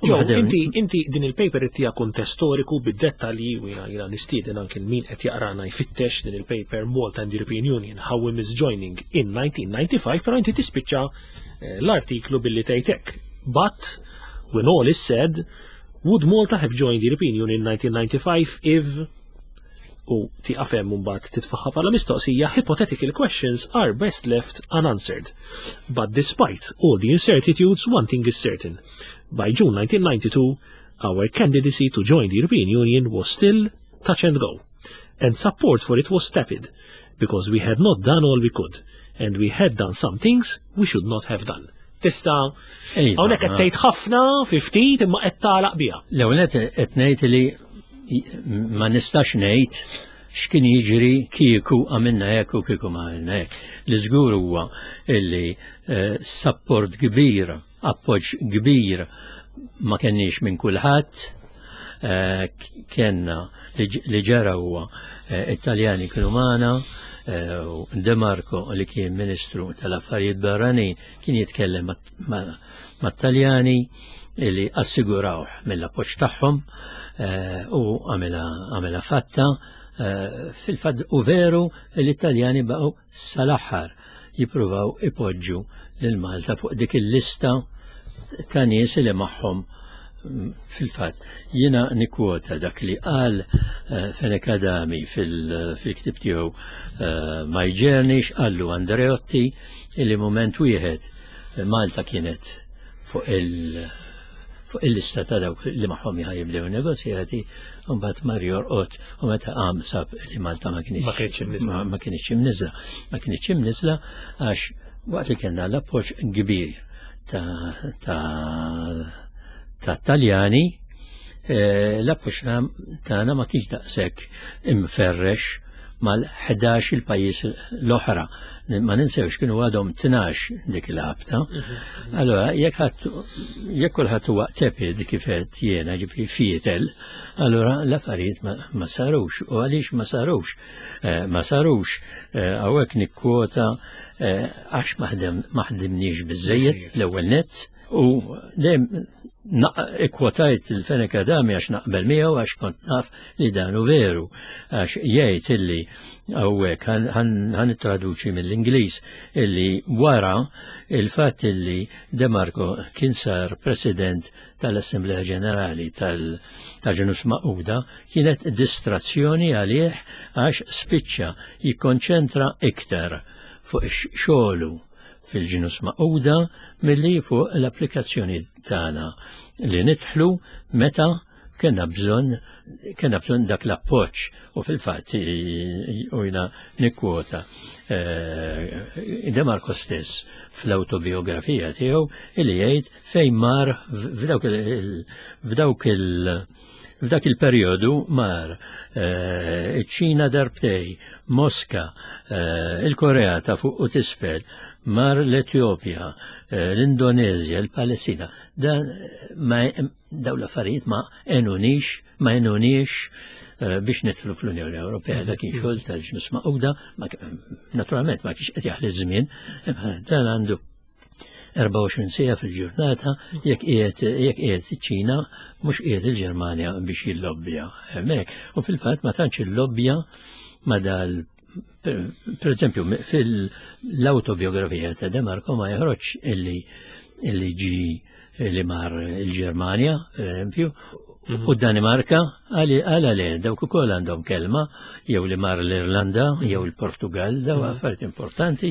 Ġo, inti, inti din il-paper ittija kuntest storiku bid-dettalji u jiena jiena nistieden anke min qed jaqrana jfittex din il-paper, Malta and the European Union, How We Missed Joining in nineteen ninety-five, però inti tispiċċa eh, l-artiklu billi tgħidlek: "But when all is said, would Malta have joined the European Union in nineteen ninety-five if" u tieqaf hemm, mbagħad titfaħħa bħala mistoqsija: "Hypothetical questions are best left unanswered. But despite all the incertitudes, one thing is certain. By June nineteen ninety-two, our candidacy to join the European Union was still touch and go. And support for it was tepid, because we had not done all we could, and we had done some things we should not have done." Tista' Iva, hawnhekk qed tgħid ħafna fi ftit, imma qed tagħlaq biha. L-ewwel qed ngħid li ma nistax ngħid x'kien jiġri kieku għamilna hekk u kieku ma għamilna hekk. Li żgur huwa illi eh, support kbir, appoġġ kbir ma kenniex minn kulħadd, eh, kenna li ġara huwa eh, Italjani kienu magħna, u De Marco, li kien Ministru tal-Affarijiet Barranin, kien jitkellem mat-Taljani li assigurawh mill-appoġġ tagħhom u għamilha fatta. Fil-fatt u veru l-Italjani baqgħu sal-aħħar jippruvaw ipoġġu lil Malta fuq dik il-lista ta' nies li magħhom. Fil-fatt jiena nikkwota dak li qal Fenech Adami fil-ktib tiegħu My Journey, qallu Andreotti illi moment wieħed Malta kienet fuq il- fuq il-lista ta' dawk li magħhom jibdew negozjati, u mbagħad mar jorqod u meta qam sab li Malta ma kienx Ma kienx imniżla. Ma kienx imniżla. Ma kienx imniżla għax waqt li kellna l-appoġġ kbir ta' ta' ta' Taljani, eh, l-appoġġ tagħna ma kienx daqshekk imferrex mal-ħdax il-pajjiż l-oħra. Ma ninsewx kienu għadhom tnax dik il-ħabta. Allora, jekk ħadd jekk kulħadd huwa tepid kif qed jiena, ġifieri fietel, allora l-affarijiet ma, ma sarux. U għaliex ma sarux? Eh, ma sarux, eh, hawnhekk nikkwota, eh, għax ma ħdimniex biżejjed l-ewwel nett, u dejjem ikkwotajt il-Fenech Adami għax naqbel miegħu, għax kont naf li dan hu veru, għax jgħid illi hawnhekk ħa nittraduċi mill-Ingliż illi wara il-fatt illi De Marco kien sar President tal-Assemblea Ġenerali tal-Ġnus Magħquda kienet distrazzjoni għalih, għax spiċċa jikkonċentra iktar fuq xogħlu fil-Ġnus Magħquda milli fuq l-applikazzjoni tagħna li nidħlu meta Kellna bżonn kellna bżonn dak l-appoġġ u fil-fatt u jiena nikkwota De Marco stess fl-autobiografija tiegħu illi jgħid fejn mar f'dawk f'dawk il f'dak il-perjodu mar iċ-Ċina darbtej, Moska, il-Korea ta' fuq u t'isfel, mar l-Etjopja, l-Indonezja, l-Palestina. Dan ma daw l-affarijiet ma għenunix, ma għenunix biex nidħlu fl-Unjoni Ewropea. Dak kien xogħol tal-Ġnus Magħquda, naturalment ma kienx qed jaħli żmien, dan għandu erbgħa u għoxrin siegħa fil-ġurnata jekk qiegħed jekk qiegħed iċ-Ċina mhux qiegħed il-Ġermanja biex jillobbja hemmhekk. U fil-fatt ma tantx illobbja ma dal per eżempju fil-autobiografija ta' De Marco ma joħroġ illi illi ġi li mar il-Ġermanja, per eżempju, u d-Danimarka, għala le, dawk ukoll għandhom kelma, jew li mar l-Irlanda, jew il-Portugal, daw affarijiet importanti.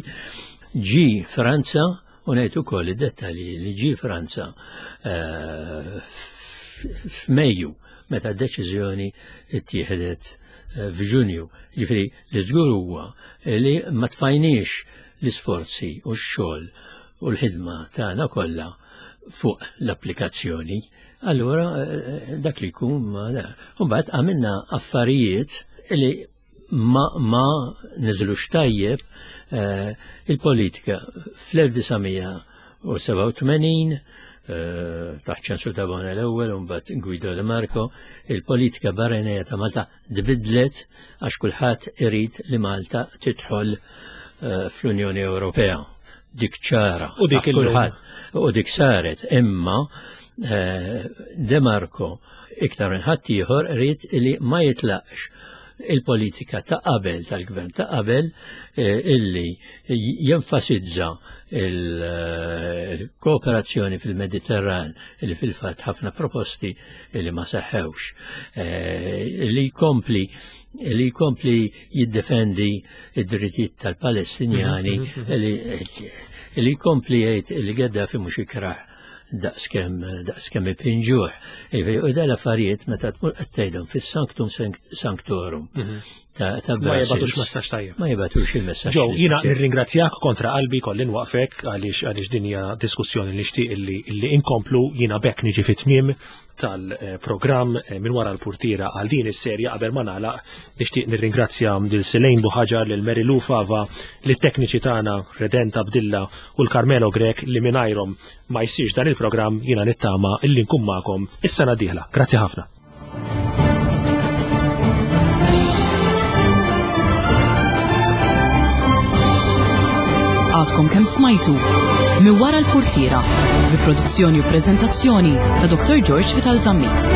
Ġi Franza, u ngħid ukoll id-dettalji li ġi Franza f'Mejju meta d-deċiżjoni ttieħdet f'Ġunju. Ġifieri li żgur huwa li ma tfajniex l-isforzi u x-xogħol u l-ħidma tagħna kollha fuq l-applikazzjoni. Allura dak li jkun ma da. Mbagħad għamilna affarijiet li ma, ma niżlux tajjeb il-politika fl-elf disa' u sebgħa u tmenin taħt ċensu ta' Bona l-ewwel u mbagħad Guido De Marco, il-politika barranija ta' Malta tbidlet għax kulħadd irid li Malta tidħol fl-Unjoni Ewropea. Dik ċara. U dik kulħadd. U dik saret, imma De Marco iktar minn ħadd ieħor irid li ma jitlaqx il-politika ta' qabel tal-gvern ta' qabel illi jenfasizza il-kooperazzjoni fil-Mediterran illi fil-fatt ħafna proposti illi ma seħħewx, li jkompli li jkompli jiddefendi id-drittijiet tal-Palestinjani, li jkompli jgħid li Gaddafi mhux ikrah daqskemm daqskemm ipinġuh. U dal affarijiet meta tmur qed tgħidhom fis-sanctum sanctorum ta' Ma jibgħatux messaġġ tajjeb. Ma jibgħatux il-messaġġ. Ġew, jiena nirringrazzjak kontra qalbi kolli nwaqfek għaliex għaliex din hija diskussjoni li nixtieq illi illi inkomplu. Jiena bekk niġi fit-tmiem tal-programm minn wara l-purtiera għal din is-serja. Qabel ma nagħlaq nixtieq nirringrazzja lil Selejn Buħaġar, lil Mary Lou Fava, lit-tekniċi tagħna Redenta Abdilla u l-Carmelo Grech li mingħajrhom ma jsirx dan il-programm. Jiena nittama illi nkun magħkom is-sena d-dieħla. Grazzi ħafna. Għadkom kemm smajtu minn wara l-purtiera bi produzzjoni u preżentazzjoni ta' Doktor George Vital Zammit.